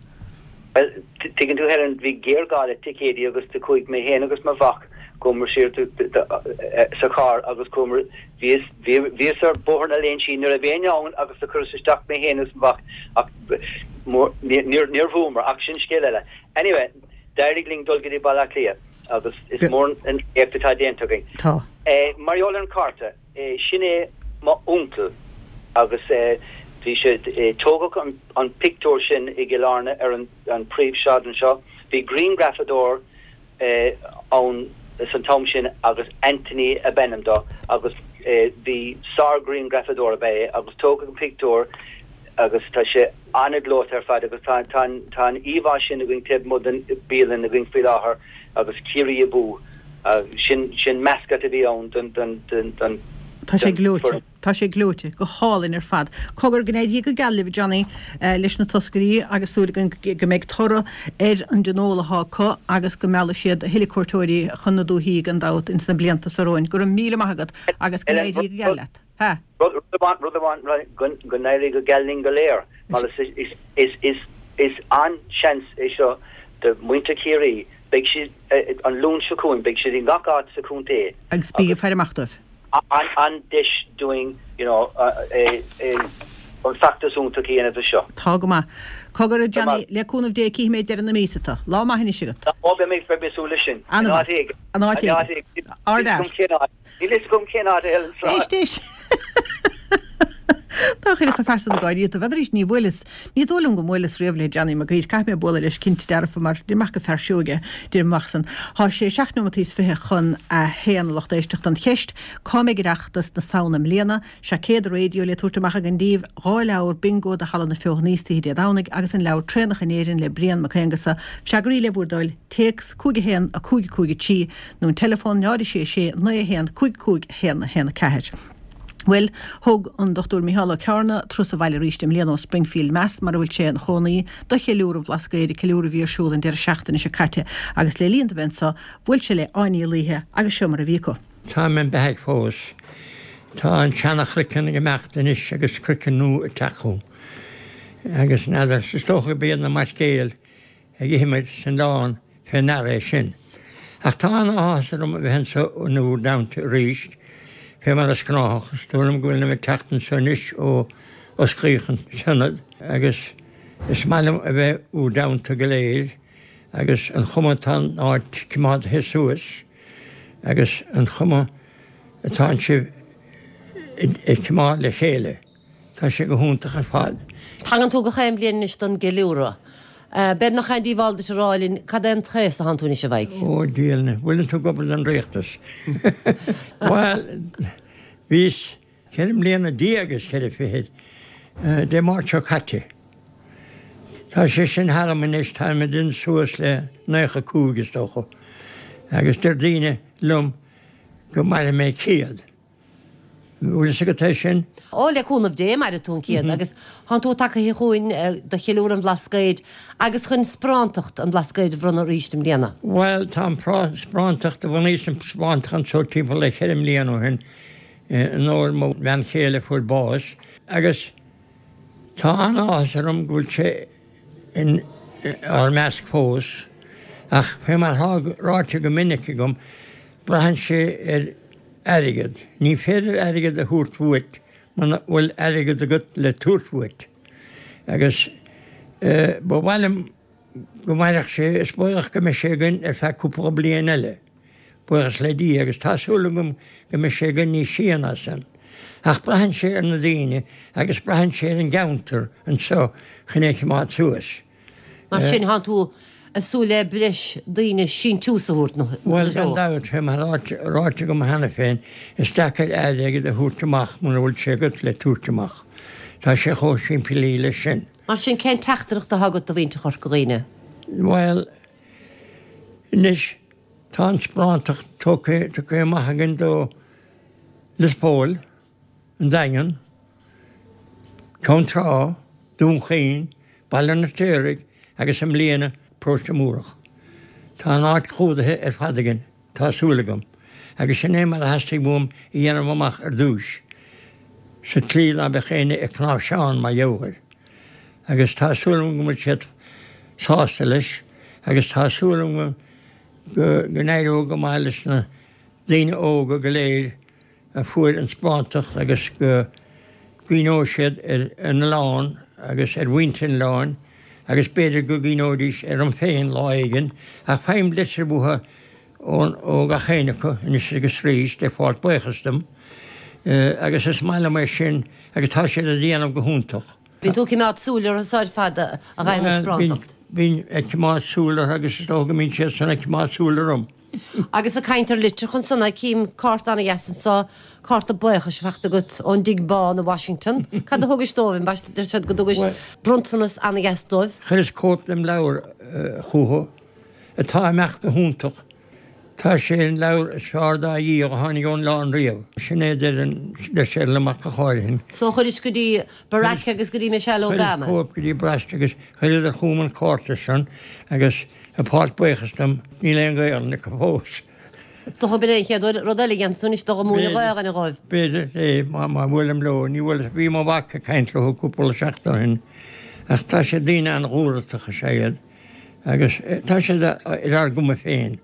Bhuel, tuigeann tú Helen, bhí géarghá le ticéidí agus do chuaigh mé féin agus mo mhac, chuamar siar sa charr agus chuamar, bhíos, bhíos ar Bhóthar na Léinsí ní raibh éinne ann agus do chuireas isteach mé féin agus mo mhac ach níor, níor bhuamar ach sin scéal eile. Anyway, d'éirigh linn dul go dtí Baile Átha Cliath agus is mór an éacht atá déanta againn. Tá. Mar gheall ar an chárta, Sin é mo uncail agus bhí sé, tógadh an pictiúr sin i gCill Airne ar an príomhshráid anseo. Bhí grianghrafadóir ann san t-am sin agus Anthony ab ainm dó agus bhí sár-ghrianghrafadóir ab ea é agus tógadh an pictiúr agus tá sé an-ghleoite ar fad agus tá tá an íomhá sin againn taobh amuigh den bialann againn faoi láthair agus Ciarraí Abú sin sin mascot a bhí ann don don don don Tá sé gleoite. Tá sé gleoite. Go hálainn ar fad. Cogar, go n-éirí go geal libh, Johnny, leis na toscairí agus súil againn go mbeidh toradh ar an dtionól athá acu agus go meallfaidh siad a thuilleadh cuairteoirí chun na dúichí gan dabht ins na blianta so romhainn. Go raibh míle maith agat agus go n-éirí go geal leat. Ha. Rud amháin, rud amháin, go n-éirí go geal linn go léir, mar is an-seans é seo do mhuintir Chiarraí, beidh siad, an Luan seo chugainn, beidh siad i ngach áit sa chontae. Agus bí ag faire amach dóibh. An-deis dúinn, you know, an feachtas iontach a dhéanamh de seo. Tá go maith. Cogar, a Johnny, le cúnamh Dé cífidh mé deireadh na míosa tu. Lá maith anois agat. Ó, beidh mé ag súil leis sin. An-mhaith. In áit éigin. Ard-fhear. Níl fhios agam cén áit a Helen Sráid. Éist, éist. Tá chuile phearsa ag gáirí iontu. B'fhéidir arís ní bhuaileas, ní dóigh liom go mbuaileas riamh le Johnny Mac Uidhir. Caithfidh mé bualadh leis cinnte dearfa mar deirim amach gur fear sióige deirim amach san. Tá sé seacht neomataí is 20 chun a haon a lucht éisteachta. An cheist, cá mbeidh Oireachtas na Samhna i mbliana? Seaicéad raidió le tabhairt amach againn daoibh, 2 leabhar bingo do Halla na Feothanaí istoíche Dé Domhnaigh agus an leabhar Traenacha in Éirinn le Brian Mac Aonghusa. Freagraí le bhur dtoil, téacs 5 1 5 5 3 nó an teileafón 0 6 6 9 1 5 5 1 1 4. Bhuel, thug an Dr Micheál Ó Cearna turas abhaile arís i mbliana ó Springfield, Mass, mar a bhfuil sé ina chónaí, do cheiliúradh an Bhlascaoid, ceiliúradh a bhí ar siúl an deireadh seachtaine seo caite, agus le linn dó bheith anso, bhuail sé le Áine Uí Laoithe agus seo mar a bhí acu. Táim im beathaidh fós. Tá an seana-chroiceann ag imeacht anois agus croiceann nua ag teacht chugam. Agus n'fheadar, is dócha gurb iad na mairnéalaigh ag imir san oileán fé ndeara é sin. Ach tá an-áthas orm a bheith anso in bhúr dteannta arís, fé mar is gnáthach. Is dóigh liom go bhfuilim ag teacht anso anois ó osclaíodh an t-ionad, agus is maith liom a bheith bhúr dteannta go léir, agus an chuma atá an áit coimeádaithe suas, agus an chuma atánn sibh ag coimeád le chéile. Tá sé go hiontach ar fad. Tagann tú gach aon bhliain anois don gceiliúradh. B'fhéidir nach aon díobháil duit a rá linn cad é an t-aos atánn tú anois, a Mhaidhc? Ó, Dia linn, bhfuileann tú ag obair don rialtas? Bhuel, bhíos 14 mbliana is ceithre fichid Dé Máirt seo caite. Tá sé sin tharam anois, táim ag déanamh suas le 95 is dócha, agus deir daoine liom go mairfidh mé 100. Bhfuil fhios agat é sin? Ó, le cúnamh Dé, mairfidh tú an 100 agus tánn tú tagaithe chugainn do cheiliúradh an Bhlascaoid agus chun sparántacht an Bhlascaoid a bhronnadh arís i mbliana. Bhuel, tá an sparántacht, do bhunaíos an sparántacht anso timpeall le ceithre mbliana ó shin in onóir mo bhean chéile a fuair bás agus tá an-áthas orm go bhfuil sé in ár measc fós ach fé mar atá ráite go minic agam, braitheann sé ar airgead. Ní féidir airgead a thabhairt uait muna bhfuil airgead agat le tabhairt uait. Agus ba mhaith liom go mairfeadh sé, is baolach go mbeidh sé againn ar feadh cúpla bliain eile, buíochas le Dia, agus tá súil agam go mbeidh sé againn níos sia ná san. Ach braitheann sé ar na daoine agus braitheann sé ar an gceantar anseo chun é a choimeád suas. Mar sin, thánn tú ag súil le breis daoine síntiús a thabhairt ina threo? Bhuel, gan dabht, fé mar atá ráite agam cheana féin, is deacair airgead a thabhairt amach muna bhfuil sé agat le tabhairt amach. Tá sé chomh simplí leis sin. Mar sin, cén teachtaireacht atá agat do mhuintir Chorca Dhuibhne? Bhuel, anois, tá an sparántacht tugtha tugtha amach againn do Lios Póil, an Daingean, Ceann Trá, Dún Chaoin. Baile an Fheirtéaraigh agus i mbliana Paróiste Múrach. Tá an áit clúdaithe ar fad againn, tá súil agam, agus sin é mar a theastaigh uaim a dhéanamh amach ar dtúis, sa tslí ná beadh éinne ag cnáimhseán mar gheall air. Agus tá súil agam go bhfuil siad sásta leis, agus tá súil agam go n-éireoidh go maith leis na daoine óga go léir a fuair an sparáinteacht agus go gcuimhneoidh siad ar an oileán agus ar mhuintir an oileáin agus b'fhéidir go gcuimhneoidís orm féin lá éigin ach faighim litir uathu ó gach éinne acu anois agus arís ag fáilt buíochas dom agus is maith liom é sin agus tá siad a dhéanamh go hiontach. Bíonn tú ag coimeád súil orthu so ar fad a fhaigheann an sparáinteacht. Bím ag coimeád súil orthu agus is dócha go mbíonn siad san ag coimeád súil orm. Agus ag caint ar litreacha ansan, cím cárta ana-dheas anso, cárta buíochais faighte agat ón dTigh Bán i Washington. Cad a thugais dóibh? Ambaiste, deir siad go dtugais bronntanas ana-dheas dóibh. Chuireas cóip dem leabhar chucu, atá ag imeacht go hiontach. Tá sé ar an leabhar is fearr dá dhíol a tháinig ón oileán riamh. Sin é a deir siad liom ach go háirithe. So chuiris go dtí Barack agus go dtí Michelle Obama. Chuireas cóip go dtí Barack agus chuireadar chugam an cárta san agus Ag fáilt buíochas dom, níl aon Ghaelainn acu fós. Is dócha b'in é an chéad rud eile a dhéanfas tú anois, dul ag múineadh Gaelainne dhóibh. B'fhéidir é, má bhuailim leo. Ní bhuaileas, bhí mo mhac ag caint leo cúpla seachtain ó shin, ach tá siad, daoine an-dhúthrachtach is ea iad, agus tá siad ar ár gcuma féin.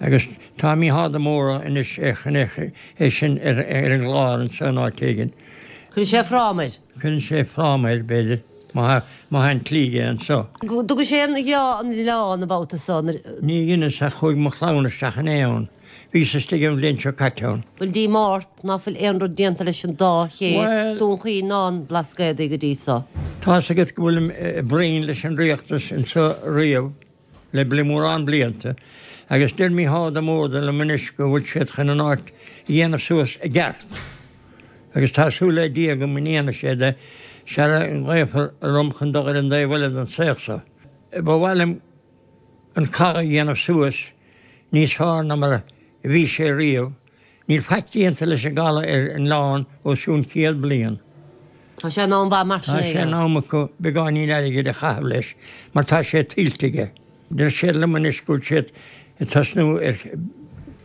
Agus tá Mícheál de Mórdha anois chun é sin ar an gclár anseo in áit éigin. Cuireann sé fráma air. Cuireann sé fráma air, b'fhéidir, má tá an tslí aige anseo. Dtugais aon gheábh an oileán an babhta so? Ní dheineas ach chuaigh mo chlann isteach inné ann. Bhíos istigh an bhliain seo caite ann. Bhfuil díomá ort ná fuil aon rud déanta leis an dá ché, Dún Chaoin ná an Blascaodaí go dtí so? Tá's agat go bhfuilim i bproinn leis an rialtas anseo riamh. le mórán blianta, agus deir Mícheál de Mórdha liom anois go bhfuil siad chun an áit a dhéanamh suas i gceart, agus tá súil le Dia agam go ndéanfaidh siad é, sara nglaofar orm chun dul ar an dtaobh eile den saol seo. Ba mhaith liom an caladh a dhéanamh suas níos fearr ná mar a bhí sé riamh, Níl faic déanta leis an gcaladh ar an oileán os cionn 100 bliain. Tá sé in am mhaith mar sin é a. Tá sé in am acu beagáinín airgid a chaitheamh leis mar tá sé tuillte aige. Deir siad liom anois go bhfuil siad ag tosnú ar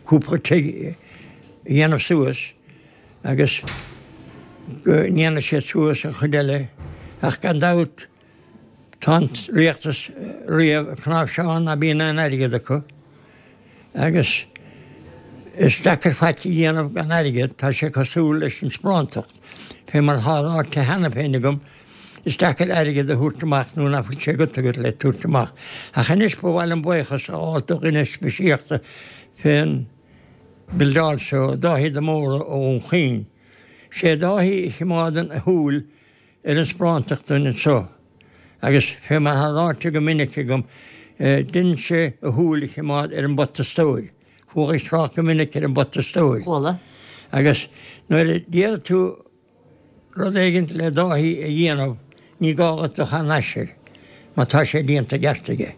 cúpla tigh a dhéanamh suas agus go ndéanfaidh siad suas an chuid eile ach gan dabht Tá an rialtas riamh ag cnáimhseán ná bíonn aon airgead acu agus is deacair faic a dhéanamh gan airgead, tá sé cosúil leis an sparántacht, fé mar atá ráite cheana féin agam, is deacair airgead a thabhairt amach nuair ná fuil sé agat agat le tabhairt amach. Ach anois ba mhaith liom buíochas a ghabháil do dhuine speisialta fén mbildeáil seo, Dáithí de Mórdha ó Dhún Chaoin. Sé Dáithí a chimeádann a shúil ar an sparántacht dúinn anseo, agus fé mar atá ráite go minic agam, deineann sé a shúil a chimeád ar an bpota stóir. Chualaís trácht go minic ar an bpota stóir. Chuala. Agus nuair a déarfaidh tú rud éigin le Dáithí a dhéanamh, ní gá dhuit dul thar n-ais air, mar tá sé déanta i gceart aige.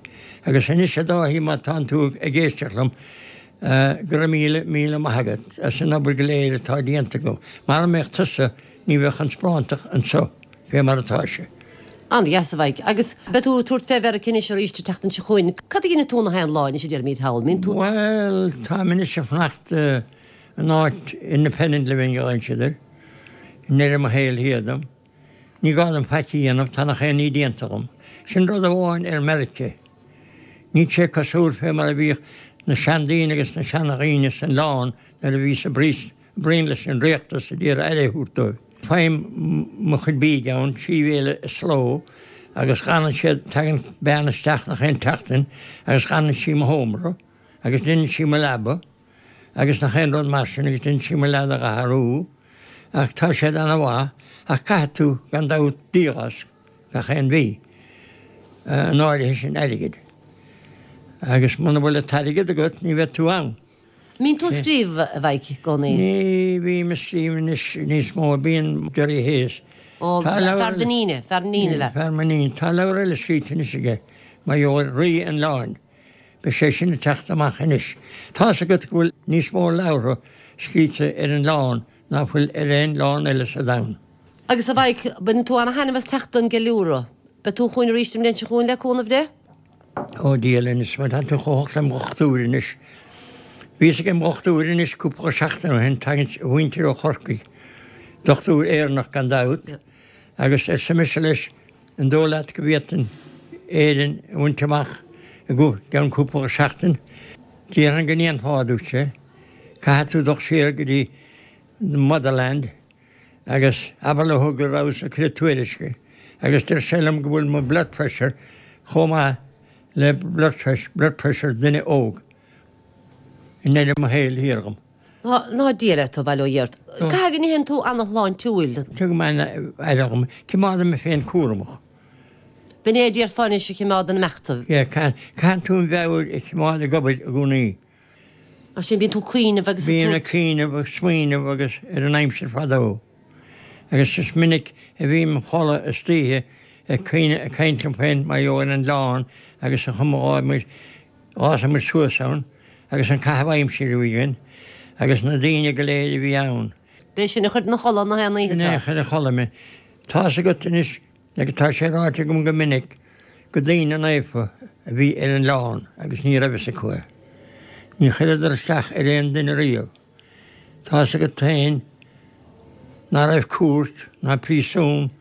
Agus anois, a Dháithí, má tánn tú ag éisteacht liom, go raibh míle, míle maith agat as an obair go léir atá déanta agam. Mara mbeadh tusa, Ní bheadh an sparántacht anseo fé mar atá sé. An-dheas, a Mhaidhc. Agus beidh tú ag tabhairt fé Mheiriceá anois arís an tseachtain seo chugainn. Cad a dhéanfaidh tú nach aon lá anois a deirimid thall? Mbíonn tú. Bhuel, táim anois ag fanacht in áit independent living a ghlaonn siad air, i ndeireadh mo shaoil thiar dom. Ní gá dom faic a dhéanamh, tá nach aon ní déanta agam. Sin rud amháin ar Meiriceá. Níl sé cosúil fé mar a bhíodh na seandaoine agus na seanadhaoine san oileán nuair a bhíos ag broinn leis an rialtas a d'iarraidh aire a thabhairt dóibh. Faighim mo chuid bídh ann, trí bhéile sa ló, agus glanann siad, tagann bean isteach nach aon tseachtain agus glanann sí mo sheomra agus deineann sí mo leaba agus nach aon rud mar sin agus deineann sí mo leath a athrú ach tá siad ana mhaith ach caithfidh tú gan dabht díol as gach aon mhí, an áirithe sin airgid agus muna bhfuil an t-airgead agat ní bheidh tú ann. Mbíonn tú ag scríobh, a Mhaidhc, i gcónaí? Ní bhím ag scríobh anois níos mó, bíonn Gerry Hayes. Ó, fear d'iníne, fear d'iníne leat. Fear m'iníne. Tá leabhar eile scríte anois aige, mar gheall ar Rí an Oileáin. Beidh sé sin ag teacht amach anois. Tá's agat go bhfuil níos mó leabhartha scríte ar an oileán ná fuil ar aon oileán eile sa domhan. Agus a Mhaidhc, baineann tú ana-thaitneamh as teacht don gceiliúradh. Beidh tú chugainn arís an mbliain seo chugainn le cúnamh Dé? Ó Dia linn, is má tá tú chomh holc lem dhochtúir anois. Bhíos ag im dhochtúir anois cúpla seachtain ó shin, tagann a mhuintir ó Chorcaigh, dochtúir Éireannach gan dabht, agus arsa mise leis, an dóigh leat go bhféadfainn Éirinn a bhaint amach i gceann cúpla seachtain? Déarfainn go ndéanfá, a dúirt sé. Caithfidh tú dul siar go dtí the motherland agus abair leo go rabhas ag cur tuairisce agus deir sé liom go bhfuil mo blood pressure chomh maith le blood blood pressure duine óg i ndeireadh mo shaoil thiar dhom. Ná Dia leat, a bhail ó Dhia ort. Caithfidh go n-itheann tú ana-shláintiúil. Tugaim an-aire dhom. Coimeádaim mé féin cúramach. B'in é a déarfá anois a choimeádann imeacht tú. Yeah, caithfidh tú an mheabhair a choimeád ag obair i gcónaí. Mar sin, bíonn tú ag cuimhneamh agus ag Bím ag cuimhneamh agus smaoineamh agus ar an aimsir fadó. Agus is minic a bhím im chodladh istoíche ag cuimhneamh, ag caint liom féin mar gheall ar an oileán agus an chuma a ghabh muid, ghasfaidh muid suas ann agus an caitheamh aimsire a bhí againn agus na daoine go léir a bhí ann. B'é sin a chuir 'na chodladh na haon oíche Sin é a chuir a chodladh mé. Tá's agat anois Agus tá sé ráite agam go minic go daoine naofa a bhí ar an oileán agus ní raibh fhios acu é. Ní chuireadar isteach ar aon duine riamh. Tá's agat féin ná raibh cúirt ná príosún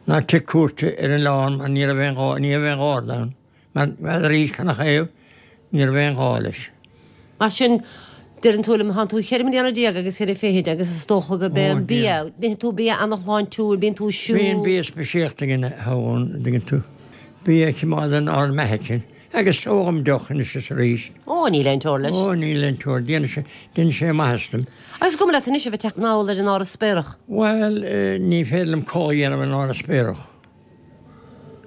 ná tigh cúirte ar an oileán mar ní raibh aon ghá, ní raibh aon gharda ann. Mar n'fheadaraís canathaobh, ní raibh aon ghá leis. Mar sin, deireann tú liom, thánn tú cheithre mbliana déag agus cheithre fichid agus is dócha go b'é an bia, itheann tú bia ana-shláintiúil, bíonn tú ag siúl. Bíonn bia speisialta againn a thabhann, an dtuigeann tú, bia a choimeádann ár mbeatha sinn. Agus ólaim deoch anois is arís. Ó, níl aon teora leis. Ó, níl aon teora, déanann sé, déanann sé maitheas dom. Agus cuma leat anois a bheith ag teacht anall ar an Áras Spéarach? Bhuel, ní féidir liom codladh a dhéanamh in Áras Spéarach.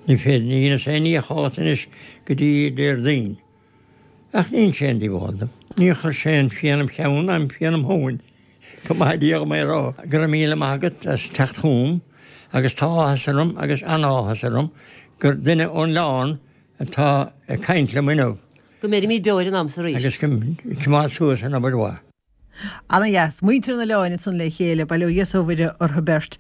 Ní féidir, ní dheineas aon ní a chodlata anois go dtí Déardaoin. Ach ní dhein sé aon díobháil dom. Níor chuir sé aon phian im cheann ná pian im thóin. Go maithe Dia dhom é a rá. Go raibh míle maith agat as teacht chugam agus tá áthas orm agus an-áthas orm gur duine ón oileán atá ag caint liom inniu. Go mbeirimid beo ar an am so arís. Agus go coimeád suas an obair mhaith. Ana dheas. Muintir an oileáin ansan le chéile, bail ó Dhia 's ó Mhuire orthu beirt.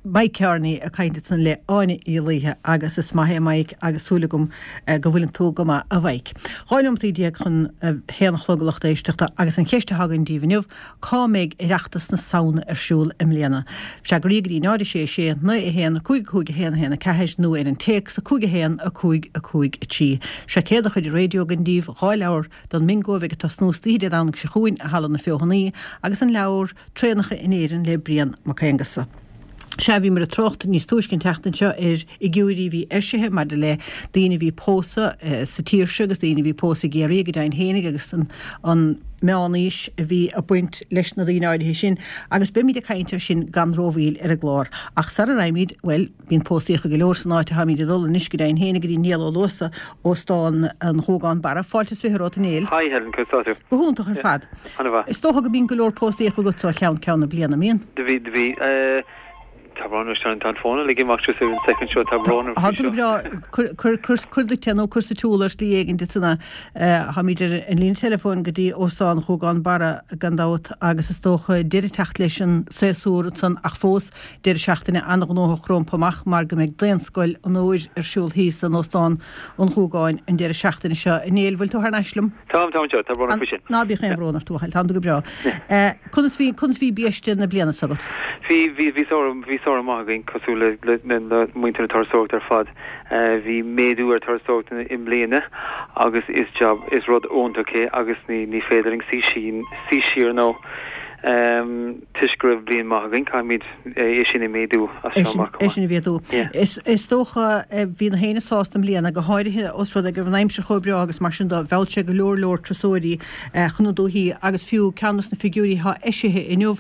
Mike Kearney ag caint ansan le Áine Uí Laoithe agus is maith é Mike agus súil agam go bhfuileann tú go maith a Mhike. 12 nóimeataí chun a haon a chlog a lucht éisteachta agus an cheist atá againn daoibh inniu, cá mbeidh Oireachtas na Samhna ar siúl i mbliana? Freagraí go dtí 0 6 6 9 1 5 5 1 1 4 nó ar an téacs 5 1 5 5 3. Seo céad chuid raidió againn daoibh, dhá leabhar Don mBingo a bheidh ag tosnú istoíche Dé Domhnaigh seo chugainn i Halla na Feothanaí agus an leabhar Traenacha in Éirinn le Brian Mac Aonghusa. Sea, bhíomar ag trácht níos túisce an tseachtain seo ar fhigiúirí a bhí eisithe maidir le daoine a bhí ag pósadh sa tír seo agus daoine a bhí ag pósadh i gCiarraí go deimhin fhéinig agus an meán-aois a bhí ag baint leis na daoine áirithe sin agus beimid ag caint air sin gan rómhoill ar an gclár. Ach sara raghaimid, bhuel, Bíonn póstaíocha go leor san áit atáimid ag dul anois go deimhin féin go dtí Niall Ó Luasa, Óstán an Ghuagáin Barra. Fáilte is fiche romhat a Néill. Hi Helen, conas tá tú? Go hiontach ar fad. Ana-mhaith. Is dócha go mbíonn go leor póstaíocha agatsa ó cheann ceann na bliana, mbíonn? Do bhí, do bhí. Tá brón orm, tá an fón uilig ag imeacht just ar an soicind seo, tá brón orm faoi seo. Tá tú go breá. Cuir, cuir, cuir, cuir duit é nó cuir sa tsiúl ar shlí éigin duit san é. Táimid ar an líne teileafóin go dtí Óstán Ghuagán Barra gan dabht agus is dócha deireadh ag teacht leis an séasúr ansan ach fós Deireadh seachtaine an-ghnóthach rompu amach mar go mbeidh Daonscoil an Fhómhair ar siúl thíos in Óstán an Ghuagáin an deireadh seachtaine seo. A Néill, bhfuil tú thar n-ais liom? Táim, táim anseo. Tá brón orm faoi sin. Ná bíodh aon bhrón ort, a bhuachaill, tánn tú go breá. Conas bhí, conas bhí biaiste na bliana s'agat? Bhí, bhí, bhí samhradh, bhí samhradh maith againn, cosúil le, le, le, le muintir na turasóireachta ar fad. Bhí méadú ar turasóireacht i mbliana agus is job, is rud iontach é agus ní, ní féidir linn suí, suí siar nó. Toisc go raibh bliain maith againn, caithfimid é sin a mhéadú as seo amach chomh maith. É sin a mhéadú. Is dócha, bhí na héinne sásta i mbliana, go háirithe os rud é go raibh an aimsir chomh breá agus mar sin de, mheall sé go leor leor turasóirí chun na dúichí agus fiú ceann dos na figiúirí atá eisithe inniu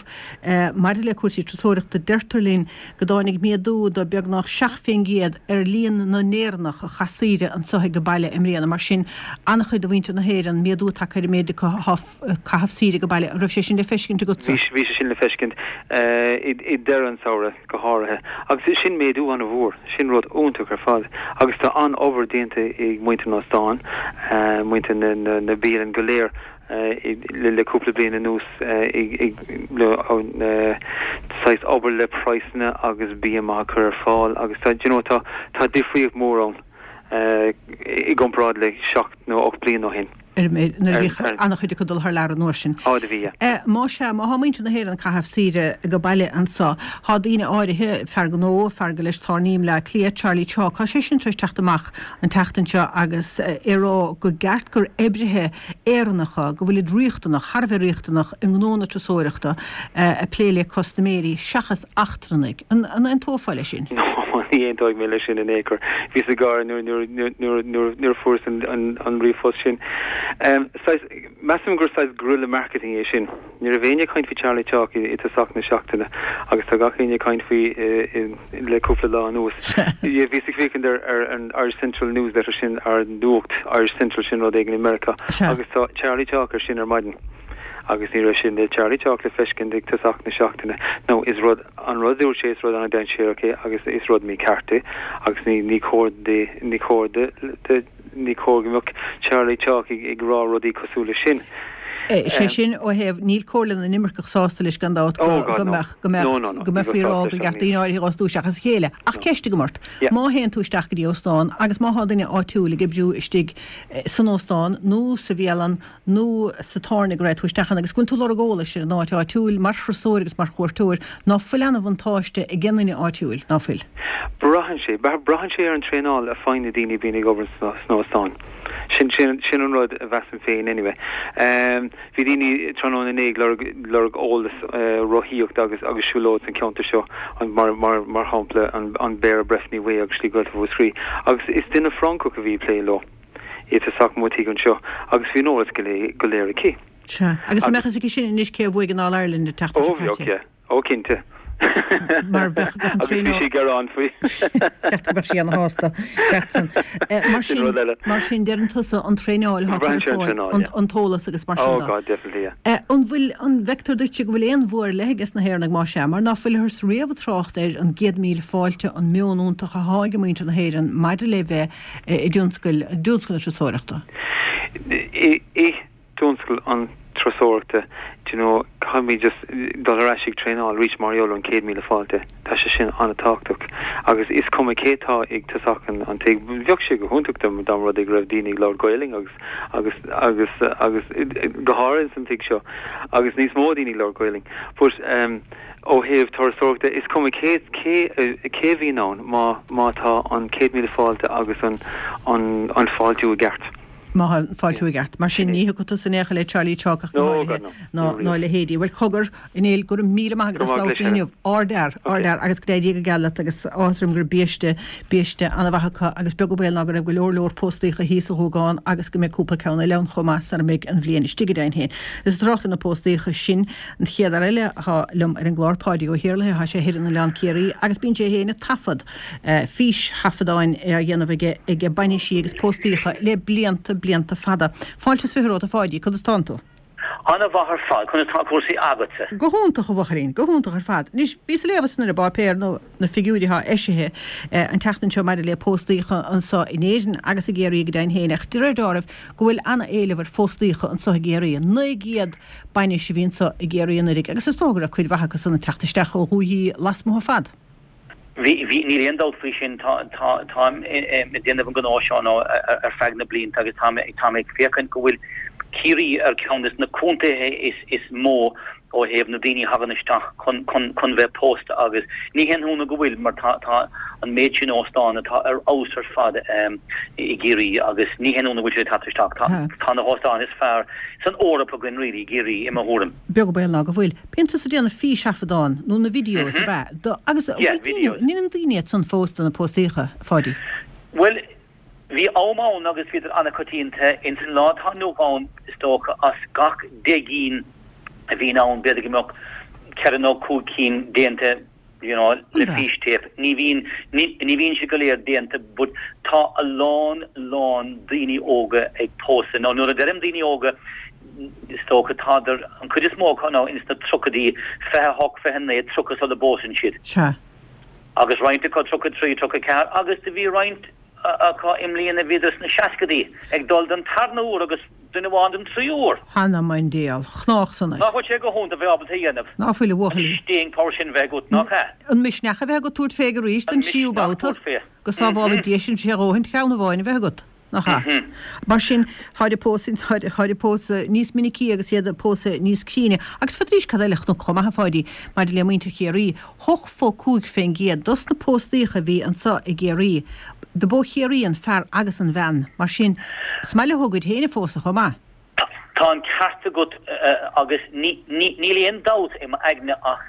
maidir le cúrsaí turasóireachta, deirtear linn go dtáinig méadú de beagnach 7% ar líon na nÉireannach a chaith saoire anseo ag an baile i mbliana. Mar sin, an-chuid de mhuintir na hÉireann, méadú tagtha ar an méid acu atá caitheamh saoire ag an baile. An raibh sé sin le feiscint agatsa? Bhí, bhí sé sin le feiscint i deireadh an samhradh go háirithe. Agus sin méadú an-mhór, sin rud iontach ar fad. Agus tá an-obair déanta ag muintir na n-óstán, muintir na, na, na bialann go léir. Le cúpla bliain anuas ag saghas obair le praghsanna agus bia maith a chur ar fáil agus tá, you know, tá tá difríocht mhór ann i gcomparáid le 7 nó 8 bliain ó shin. Ar nuair a bhíodh an-chuid acu ag dul thar lear an uair sin. Á do bhí, yeah. Má sea, má thá muintir na hÉireann ag caitheamh saoire go baile anso, thá daoine áirithe, fear gnó, fear gur leis tábhairní i mBleá Cliath, Charlie Chawke, thá sé sin tar éis teacht amach an tseachtain seo agus é ag rá go gceart gur oibrithe Éireannacha, go bhfuilid riachtanach, thar a bheith riachtanach i ngnó na turasóireachta, ag plé le custaiméirí, seachas eachtrannaigh. An aontófá leis sin? No, ní aontóidh mé leis sin in aon chor. Bhíos ag gáire nuair, nuair, nuair, nuair, nuair, nuair a fuaireas an, an, an ríomhphost sin. Saghas, measaim gur saghas guerrilla marketing é sin. Ní raibh éinne ag caint faoi Charlie Chawke i tosach na seachtaine agus tá gach éinne ag caint faoi le cúpla lá anuas. Bhíos ag féachaint ar ar an Irish Central Newsletter sin, ar nuacht Irish Central sin rud éigin i Meiriceá agus tá Charlie Chawke ar sin ar maidin agus ní raibh sin le Charlie Chawke le feiscint ag tosach na seachtaine. Now is rud, an rud a dúirt sé is rud an-dainséarach é agus is rud mícheart é agus ní ní cóir di, ní cóir di, Ní cóir go mbeadh Charlie Chawke ag rá rudaí cosúil leis sin. Sé sin ó thaobh, níl Comhairle na nImirceach sásta leis gan dabht go mbeadh, go mbeadh, go mbeifí ag rá gur cheart daoine áirithe a fhostú seachas a chéile. Ach ceist agam ort, má théann tú isteach go dtí óstán agus má thá duine áitiúil ag oibriú istigh san óstán nó sa bhialann nó sa tábhairne go raibh tú isteach ann agus go bhfuil tú ag lorg eolais ar an áit áitiúil mar thurasóir agus mar chuairteoir, ná fuil ana-bhuntáiste ag an nduine áitiúil, ná fuil? Braitheann sé. Braitheann sé ar an traenáil a faigheann na daoine a bhíonn ag obair sna hóstáin. Sin, sin, sin an rud a mheasaim féin anyway. Bhí daoine tráthnóna inné ag lorg, lorg eolas rothaíocht agus, agus siúlóid san ceantar seo, mar, mar, mar shampla an, an Beara Breffni Way agus Slí Gaeltacht Mhúscraí agus is duine Francach a bhí ag plé leo. I dtosach mo tigh anseo agus bhí an eolas go léir aici. Sea. Agus an mbeadh fhios aici sin anois cé a bhuaigh an All Ireland an tseachtain seo caite? Ó bheadh, yeah. Ó cinnte. Mar bheadh, bheadh an Agus bhí sí ag gearán faoi. Ceart go mbeadh sí ana-shásta leat-san. Mar Sin rud eile. Mar sin, deireann tusa an traenáil atá Braitheann sé ar an ar fáil, traenáil, yeah. an t-eolas agus mar sin Oh de. God, definitely, yeah. An bhfuil, an bhfeictear duitse go bhfuil aon bhua ar leith ages na hÉireannaigh, más ea, mar ná fuilthears riamh ag trácht ar an gcéad míle fáilte, an meon iontach athá ag muintir na hÉireann maidir le bheith i dtionscal na turasóireachta. I dtionscal an turasóireachta, do you know, caithfimid just dul ar ais ag traenáil arís mar gheall ar an 100,000 fáilte. Tá sé sin an-tábhachtach agus is cuma cé atá ag tosach an tigh. Bheadh sé go hiontach dá mba rud é go raibh daoine ag labhairt Gaelainn agus agus agus agus go háirithe san tigh seo agus níos mó daoine ag labhairt Gaelainn. But um, Ó thaobh turasóireachta, is cuma cé cé cé a bhíonn ann má má tá an 100,000 fáilte agus an an an fáiltiú i gceart. Má tá an fáiltiú i gceart. Mar sin, ní thiocfaidh tusa in aon chor le Charlie Chawke ach go háirithe ná ná a leithéidí. Bhuel, cogar, a Néill, go raibh míle maith agat as labhairt linn inniu. Ardfhear, ardfhear agus go dté Dia go geal leat agus áthas orm go raibh biaiste, biaiste an-mhaith acu agus beag an baol ná go raibh go leor leor póstaíocha thíos sa Ghuagán agus go mbeidh cúpla ceann eile ann chomh maith sara mbeidh an bhliain istigh go deimhin féin. Is ag trácht ar na póstaíocha sin, An chéad fhear eile athá liom ar an gclár, Páidí Ó hIarlaithe, thá sé thoir in Oileán Ciarraí agus bíonn sé féin ag taifead, fís-thaifeadáin á dhéanamh aige ag bainisí agus póstaíocha le blianta, blianta fada. Fáilte is 20 romhat a Pháidí, conas tánn tú? Ana mhaith ar fad, conas tá cúrsaí agatsa? Go hiontach a bhuachaillín, go hiontach ar fad. Anois, bhíos ag léamh ansan ar an bpáipéar nó na figiúirí athá eisithe an tseachtain seo maidir le póstaíocha anso in Éirinn agus i gCiarraí go deimhin féin ach de réir deáraimh go bhfuil ana-éileamh ar phóstaíocha anso i gCiarraí. 900 bainis a bhí anso i gCiarraí anuiridh agus is dócha go raibh cuid mhaith acu san ag teacht isteach ó dhúichí lasmuigh ar fad. Bhí, bhí, níl aon dabht faoi sin. Tá, tá, táim ag déanamh an gnó seo now ar feadh na blianta agus tá mé, tá mé ag féachaint go bhfuil Ciarraí ar ceann des na contaetha is, is mó ó thaobh na daoine a thagann isteach chun, chun, chun bheith pósta agus ní haon ionadh go bhfuil mar tá, tá an méid sin óstán atá ar fheabhas ar fad i gCiarraí agus ní haon ionadh go bhfuil siad ag teacht isteach. Tá, tá na hóstáin is fearr san Eoraip againn really, i gCiarraí, i mo thuairim. Beag an baol ná go bhfuil. Bíonn tusa ag déanamh físthaifeadán, nó na videos, ab ea? Do, agus an Yeah, bhfuil daoine, videos. an ndeineann daoine iad san fós do na póstaíocha, a Pháidí? Bhuel, bhí am ann agus bhíodar an-choitianta. Ins an lá atá inniu ann, is dócha, as gach 10 gcinn a bhíonn ann, b'fhéidir go mbeadh ceithre nó cúig cinn déanta you know, le fístéip. Ní bhíonn, ní, ní bhíonn siad go léir déanta but tá a lán, lán daoine óga ag pósadh. Now nuair a deirim daoine óga, is dócha tádar, an chuid is mó acu now ins na tríochaidí, 28, 29, 30 sula bpósann siad. Sea. Agus roinnt acu 33, 34 agus do bhí roinnt acu i mbliana bhíodar sna seascadaí ag dul don tarna huair agus. duine amháin den triúr. Th'anam 'on diabhal. Chnách san air. Nach bhfuil sé go hiontach bheith ábalta a dhéanamh? Ná fuil, a bhuachaill. An staying power sin bheith agat, nach ea? An misneach a bheith agat tabhairt fé arís don tríú babhta. Go sábhála Dia sin sé a dhóthain ceann amháin a bheith agat, nach ea? Mar sin, táid ag pósadh, táid ag pósadh níos minicí agus iad ag pósadh níos críne. Agus fad arís cad eile a chonac chomh maith, a Pháidí, maidir le muintir Chiarraí, 85% dos na póstaíocha a bhí anso i gCiarraí, do b'ó Chiarraí an fear agus an bhean. Mar sin, is maith leo a gcuid féin a phósadh chomh maith. Tá an ceart agat agus níl aon dabht i m'aigne ach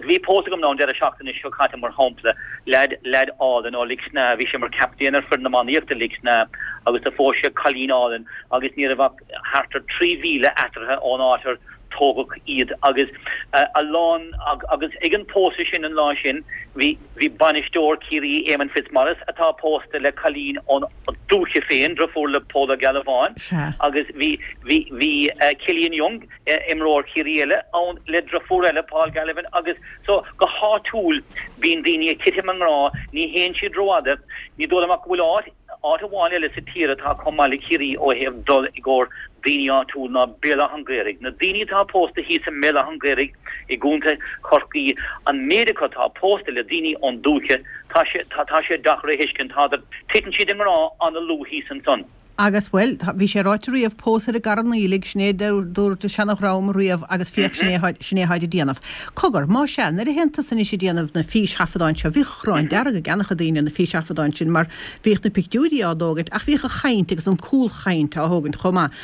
bhí pósadh agam an deireadh seachtaine seo caite mar shampla, leaid, leaid álainn ó Lios na, bhí sé mar captaen ar foireann iománaíochta Lios na agus do phós sé cailín álainn agus ní raibh ach thart ar 3 mhíle eatarthu ón áit ar tógadh iad agus a lán agus ag an pósadh sin an lá sin bhí Bhí bainisteoir Chiarraí Éamonn Fitzmaurice, atá pósta le cailín ón dúiche féin, driofúr le Pól Ó Gealbháin, agus bhí bhí bhí Killian Young, imreoir Chiarraí eile, ann le driofúr eile, Paul Galvin, agus so go háitiúil bíonn daoine ag titim i ngrá, ní théann siad rófhada, ní dóigh liom ach go bhfuil áit Áit amháin eile sa tír atá chomh maith le Ciarraí ó thaobh dul i gcomhair daoine áitiúil ná Béal Átha an Ghaorthaidh. Na daoine atá pósta thíos i mBéal Átha an Ghaorthaidh i gContae Chorcaí, an méid acu atá pósta le daoine ón dúiche, tá sé, tá sé deacair a thuiscint. Tádar, titeann siad i ngrá an-luath thíos ansan. Agus, bhuel, bhí sé ráite riamh, pós ar an gCarn Aoiligh, sin é dúirt an seana-dhream riamh agus féach, sin é, sin é atáid ag déanamh. Cogar, má sea, nuair a théann tusa anois ag déanamh na físthaifeadáin seo, bhíodh crann dearg á gceannach ag daoine ar na físthaifeadáin sin mar bhíodh na pictiúirí á dtógaint ach bhíodh an chaint agus an cúlchaint á thógaint chomh maith.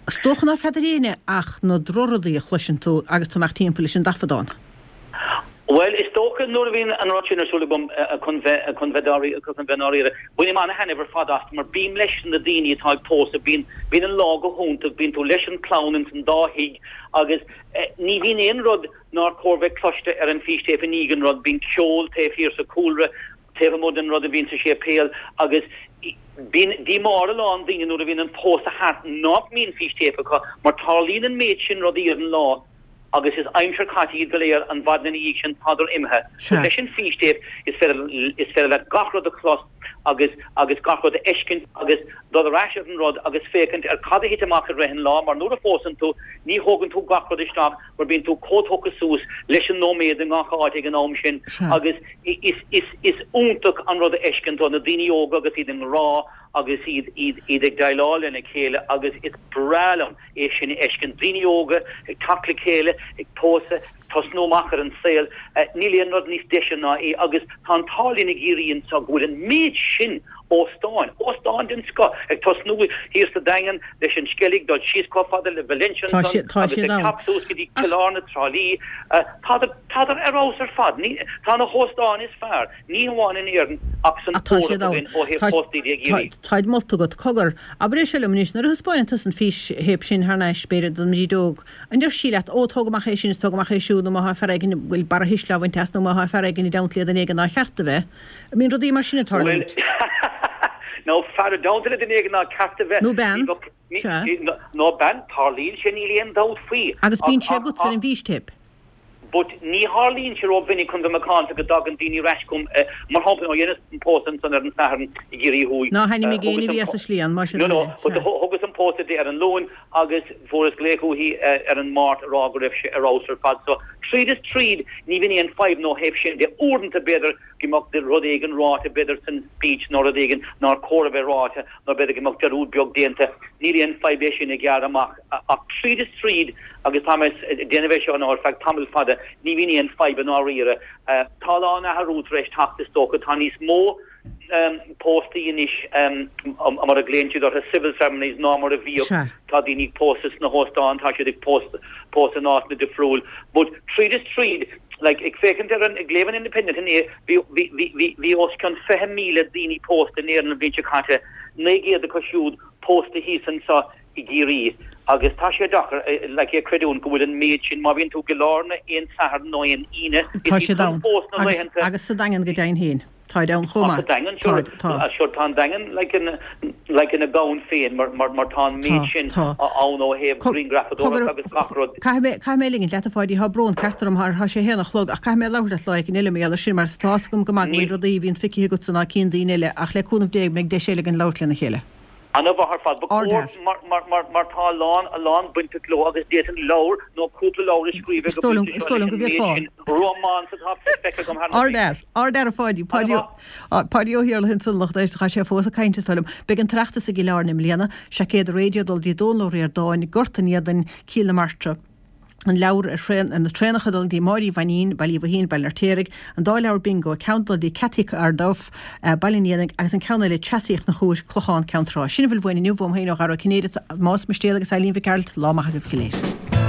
Is dócha ná feadar éinne ach na drochrudaí a chloiseann tú agus tú amach timpeall leis an dtaifeadán. Bhuel, is dócha nuair a bhíonn an rud sin ar siúl agam chun bheith, chun bheith dáiríre, chun bheith ndáiríre, bainim ana-thaitneamh ar fad as mar bím leis na daoine atá ag pósadh, bíonn, bíonn an lá go hiontach, bíonn tú leis an chlann ins an dá thigh agus ní bhíonn aon rud nár chóir bheith cloiste ar an fístéip i ndiaidh an rud, bíonn ceol taobh thiar sa chúlra, taobh amuigh den rud a bhíonn sa séipéal agus bíonn díomá ar a lán daoine nuair a bhíonn an pósadh thart nach mbíonn fístéip acu mar tarlaíonn an méid sin rudaí ar an lá agus is aimsir chaite iad go léir an mhaidin ina dhiaidh sin tádar imithe. But leis an fístéip is féidir is féidir leat gach rud a chlos agus agus gach rud a fheiscint agus dul ar ais ar an rud agus féachaint ar cad a thit amach i rith an lá mar nuair a phósann tú ní thógann tú gach rud isteach mar bíonn tú chomh tógtha suas leis an nóiméad i ngach áit ag an am sin agus is is is iontach an rud a fheisceann tú na daoine óga agus iad i ngrá agus iad iad iad ag déileáil lena chéile agus is breá liom é sin a fheiscint, daoine óga ag teacht le chéile, ag pósadh, ag tosnú amach ar an saol. Níl aon rud níos deise ná é agus tá an t-ádh linn i gCiarraí anseo go bhfuil an méid sin óstáin, óstáin den scoth, ag tosnú thiar sa Daingean leis an Sceilg, dul síos chomh fada le Valentia ansan agus ag teacht suas go dtí Cill Airne, Trá Lí. Tádar, tádar ar fheabhas ar fad. Tá na hóstáin is fearr, ní hamháin in Éirinn ach san Eoraip againn ó thaobh póstaí de i gCiarraí. Táid molta agat. Cogar, abair é seo liom anois, nuair a thaispeáineann tusa an físthéip sin thar n-ais, b'fhéidir, don Bhríd Óg, an deir sí leat, Ó, tóg amach é sin is tóg amach é siúd, nó má thá fear éigin a bhfuil barra thuisle á bhaint as, nó má thá fear éigin i dteannta le duine éigin nár cheart a bheith. An mbíonn rudaí mar sin ag Bhuel, tarlúint? nó fear i dteannta le duine éigin nár cheart a bheith. Nó bean. Sea. Nó bean, tarlaíonn sé, níl aon dabht faoi. Agus bíonn sé agatsa ar an bhfístéip. But ní tharlaíonn sé ró-mhinic chun bheith macánta go dtagann daoine ar ais chugam, mar shampla, ó dheineas an pósadh ansan ar an Satharn i gCiarraí Thuaidh. Ná hainmnigh éinne a bhí as an slí ann, más No, no, but thugas an pósadh di ar an Luan agus fuaireas glaoch uaithi ar an Máirt a rá go raibh sé ar fheabhas ar fad. So, tríd is tríd, ní bhíonn aon fadhb ó thaobh sin de. Uaireanta, b'fhéidir go mbeadh rud éigin ráite, b'fhéidir san speech nó rud éigin nár chóir a bheith ráite nó b'fhéidir go mbeadh dearúd beag déanta. Níl aon fadhb é sin a ghearradh amach. Ach tríd is tríd, agus tá mé ag déanamh é seo now ar feadh tamall fada, ní bhíonn aon fadhb i ndáiríre. Tá a lán athrú tar éis teacht is dócha. Tá níos mó póstaí anois, mar a ghlaonn siad orthu, civil ceremonies, ná mar a bhíodh. Tá daoine ag pósadh sna hóstáin, tá siad ag pósadh in áiteanna difriúil. But tríd is tríd, like, ag féachaint ar an, ag léamh an Independent inné, bhí, bhí, bhí, bhí os cionn 20,000 daoine pósta in Éirinn an bhliain seo caite, 900 acu siúd pósta thíos anseo i gCiarraí agus tá sé deacair like é a chreidiúint go bhfuil an méid sin, má bhíonn tú i gCill Airne aon Satharn nó aon Aoine, Tá is siad ann. fós na laethanta. Agus sa Daingean go deimhin féin. Táid ann chomh maith. Sa Daingean, sure. Táid, tá. Sure, tá an Daingean like ina, like ina dhomhan féin mar, mar, mar tá an méid sin ann ó thaobh grianghrafadóireacht agus gach rud. Caithfidh mé, caithfidh mé a ligint leat a Pháidí, tá brón ceart orm, tá sé a haon a chlog ach caithfidh mé labhairt leat lá éigin eile mar gheall ar sin mar tá fhios agam go maith go bhfuil rudaí a bhíonn feicthe agatsa ná cinn daoine eile ach le cúnamh Dé beidh deis eile againn labhairt lena chéile. Ana mhaith ar fad. Ba chóir mar tá a lán a lán bainteach leo agus d'fhéadfainn leabhar nó cúpla leabhar a scríobh ag an bpointe seo leis an méid sin rómáns atá feicthe agam thar na blianta. Ardfhear. Ardfhear a Pháidí. Páidí Páidí Ó hIarlaithe ansan lucht éisteachta. Tá sé fós ag caint is dóigh liom. Beidh an tOireachtas i gCill Airne i mbliana. Seaicéad raidió ag dul dtí Dónal Ó Ríordáin, Gort an Éadain, Cill na Martra. An leabhar ar thraen, ar na traenacha ag dul dtí Máire Uí Mhainín, Baile Uí Mhaithín, Baile an Fheirtéaraigh, an dá leabhar bingo, ceann ag dul dtí Cathy Carduff, Baile an Éanaigh, agus an ceann eile, Treasaí Chnoc Úir, Clochán Ceann Trá. Sin a bhfuil uainn inniu, uaim féin ó Dhara Ó Cinnéide, Tomás Mistéal agus Eileen Mhic Gearailt, lá maith agaibh go léir.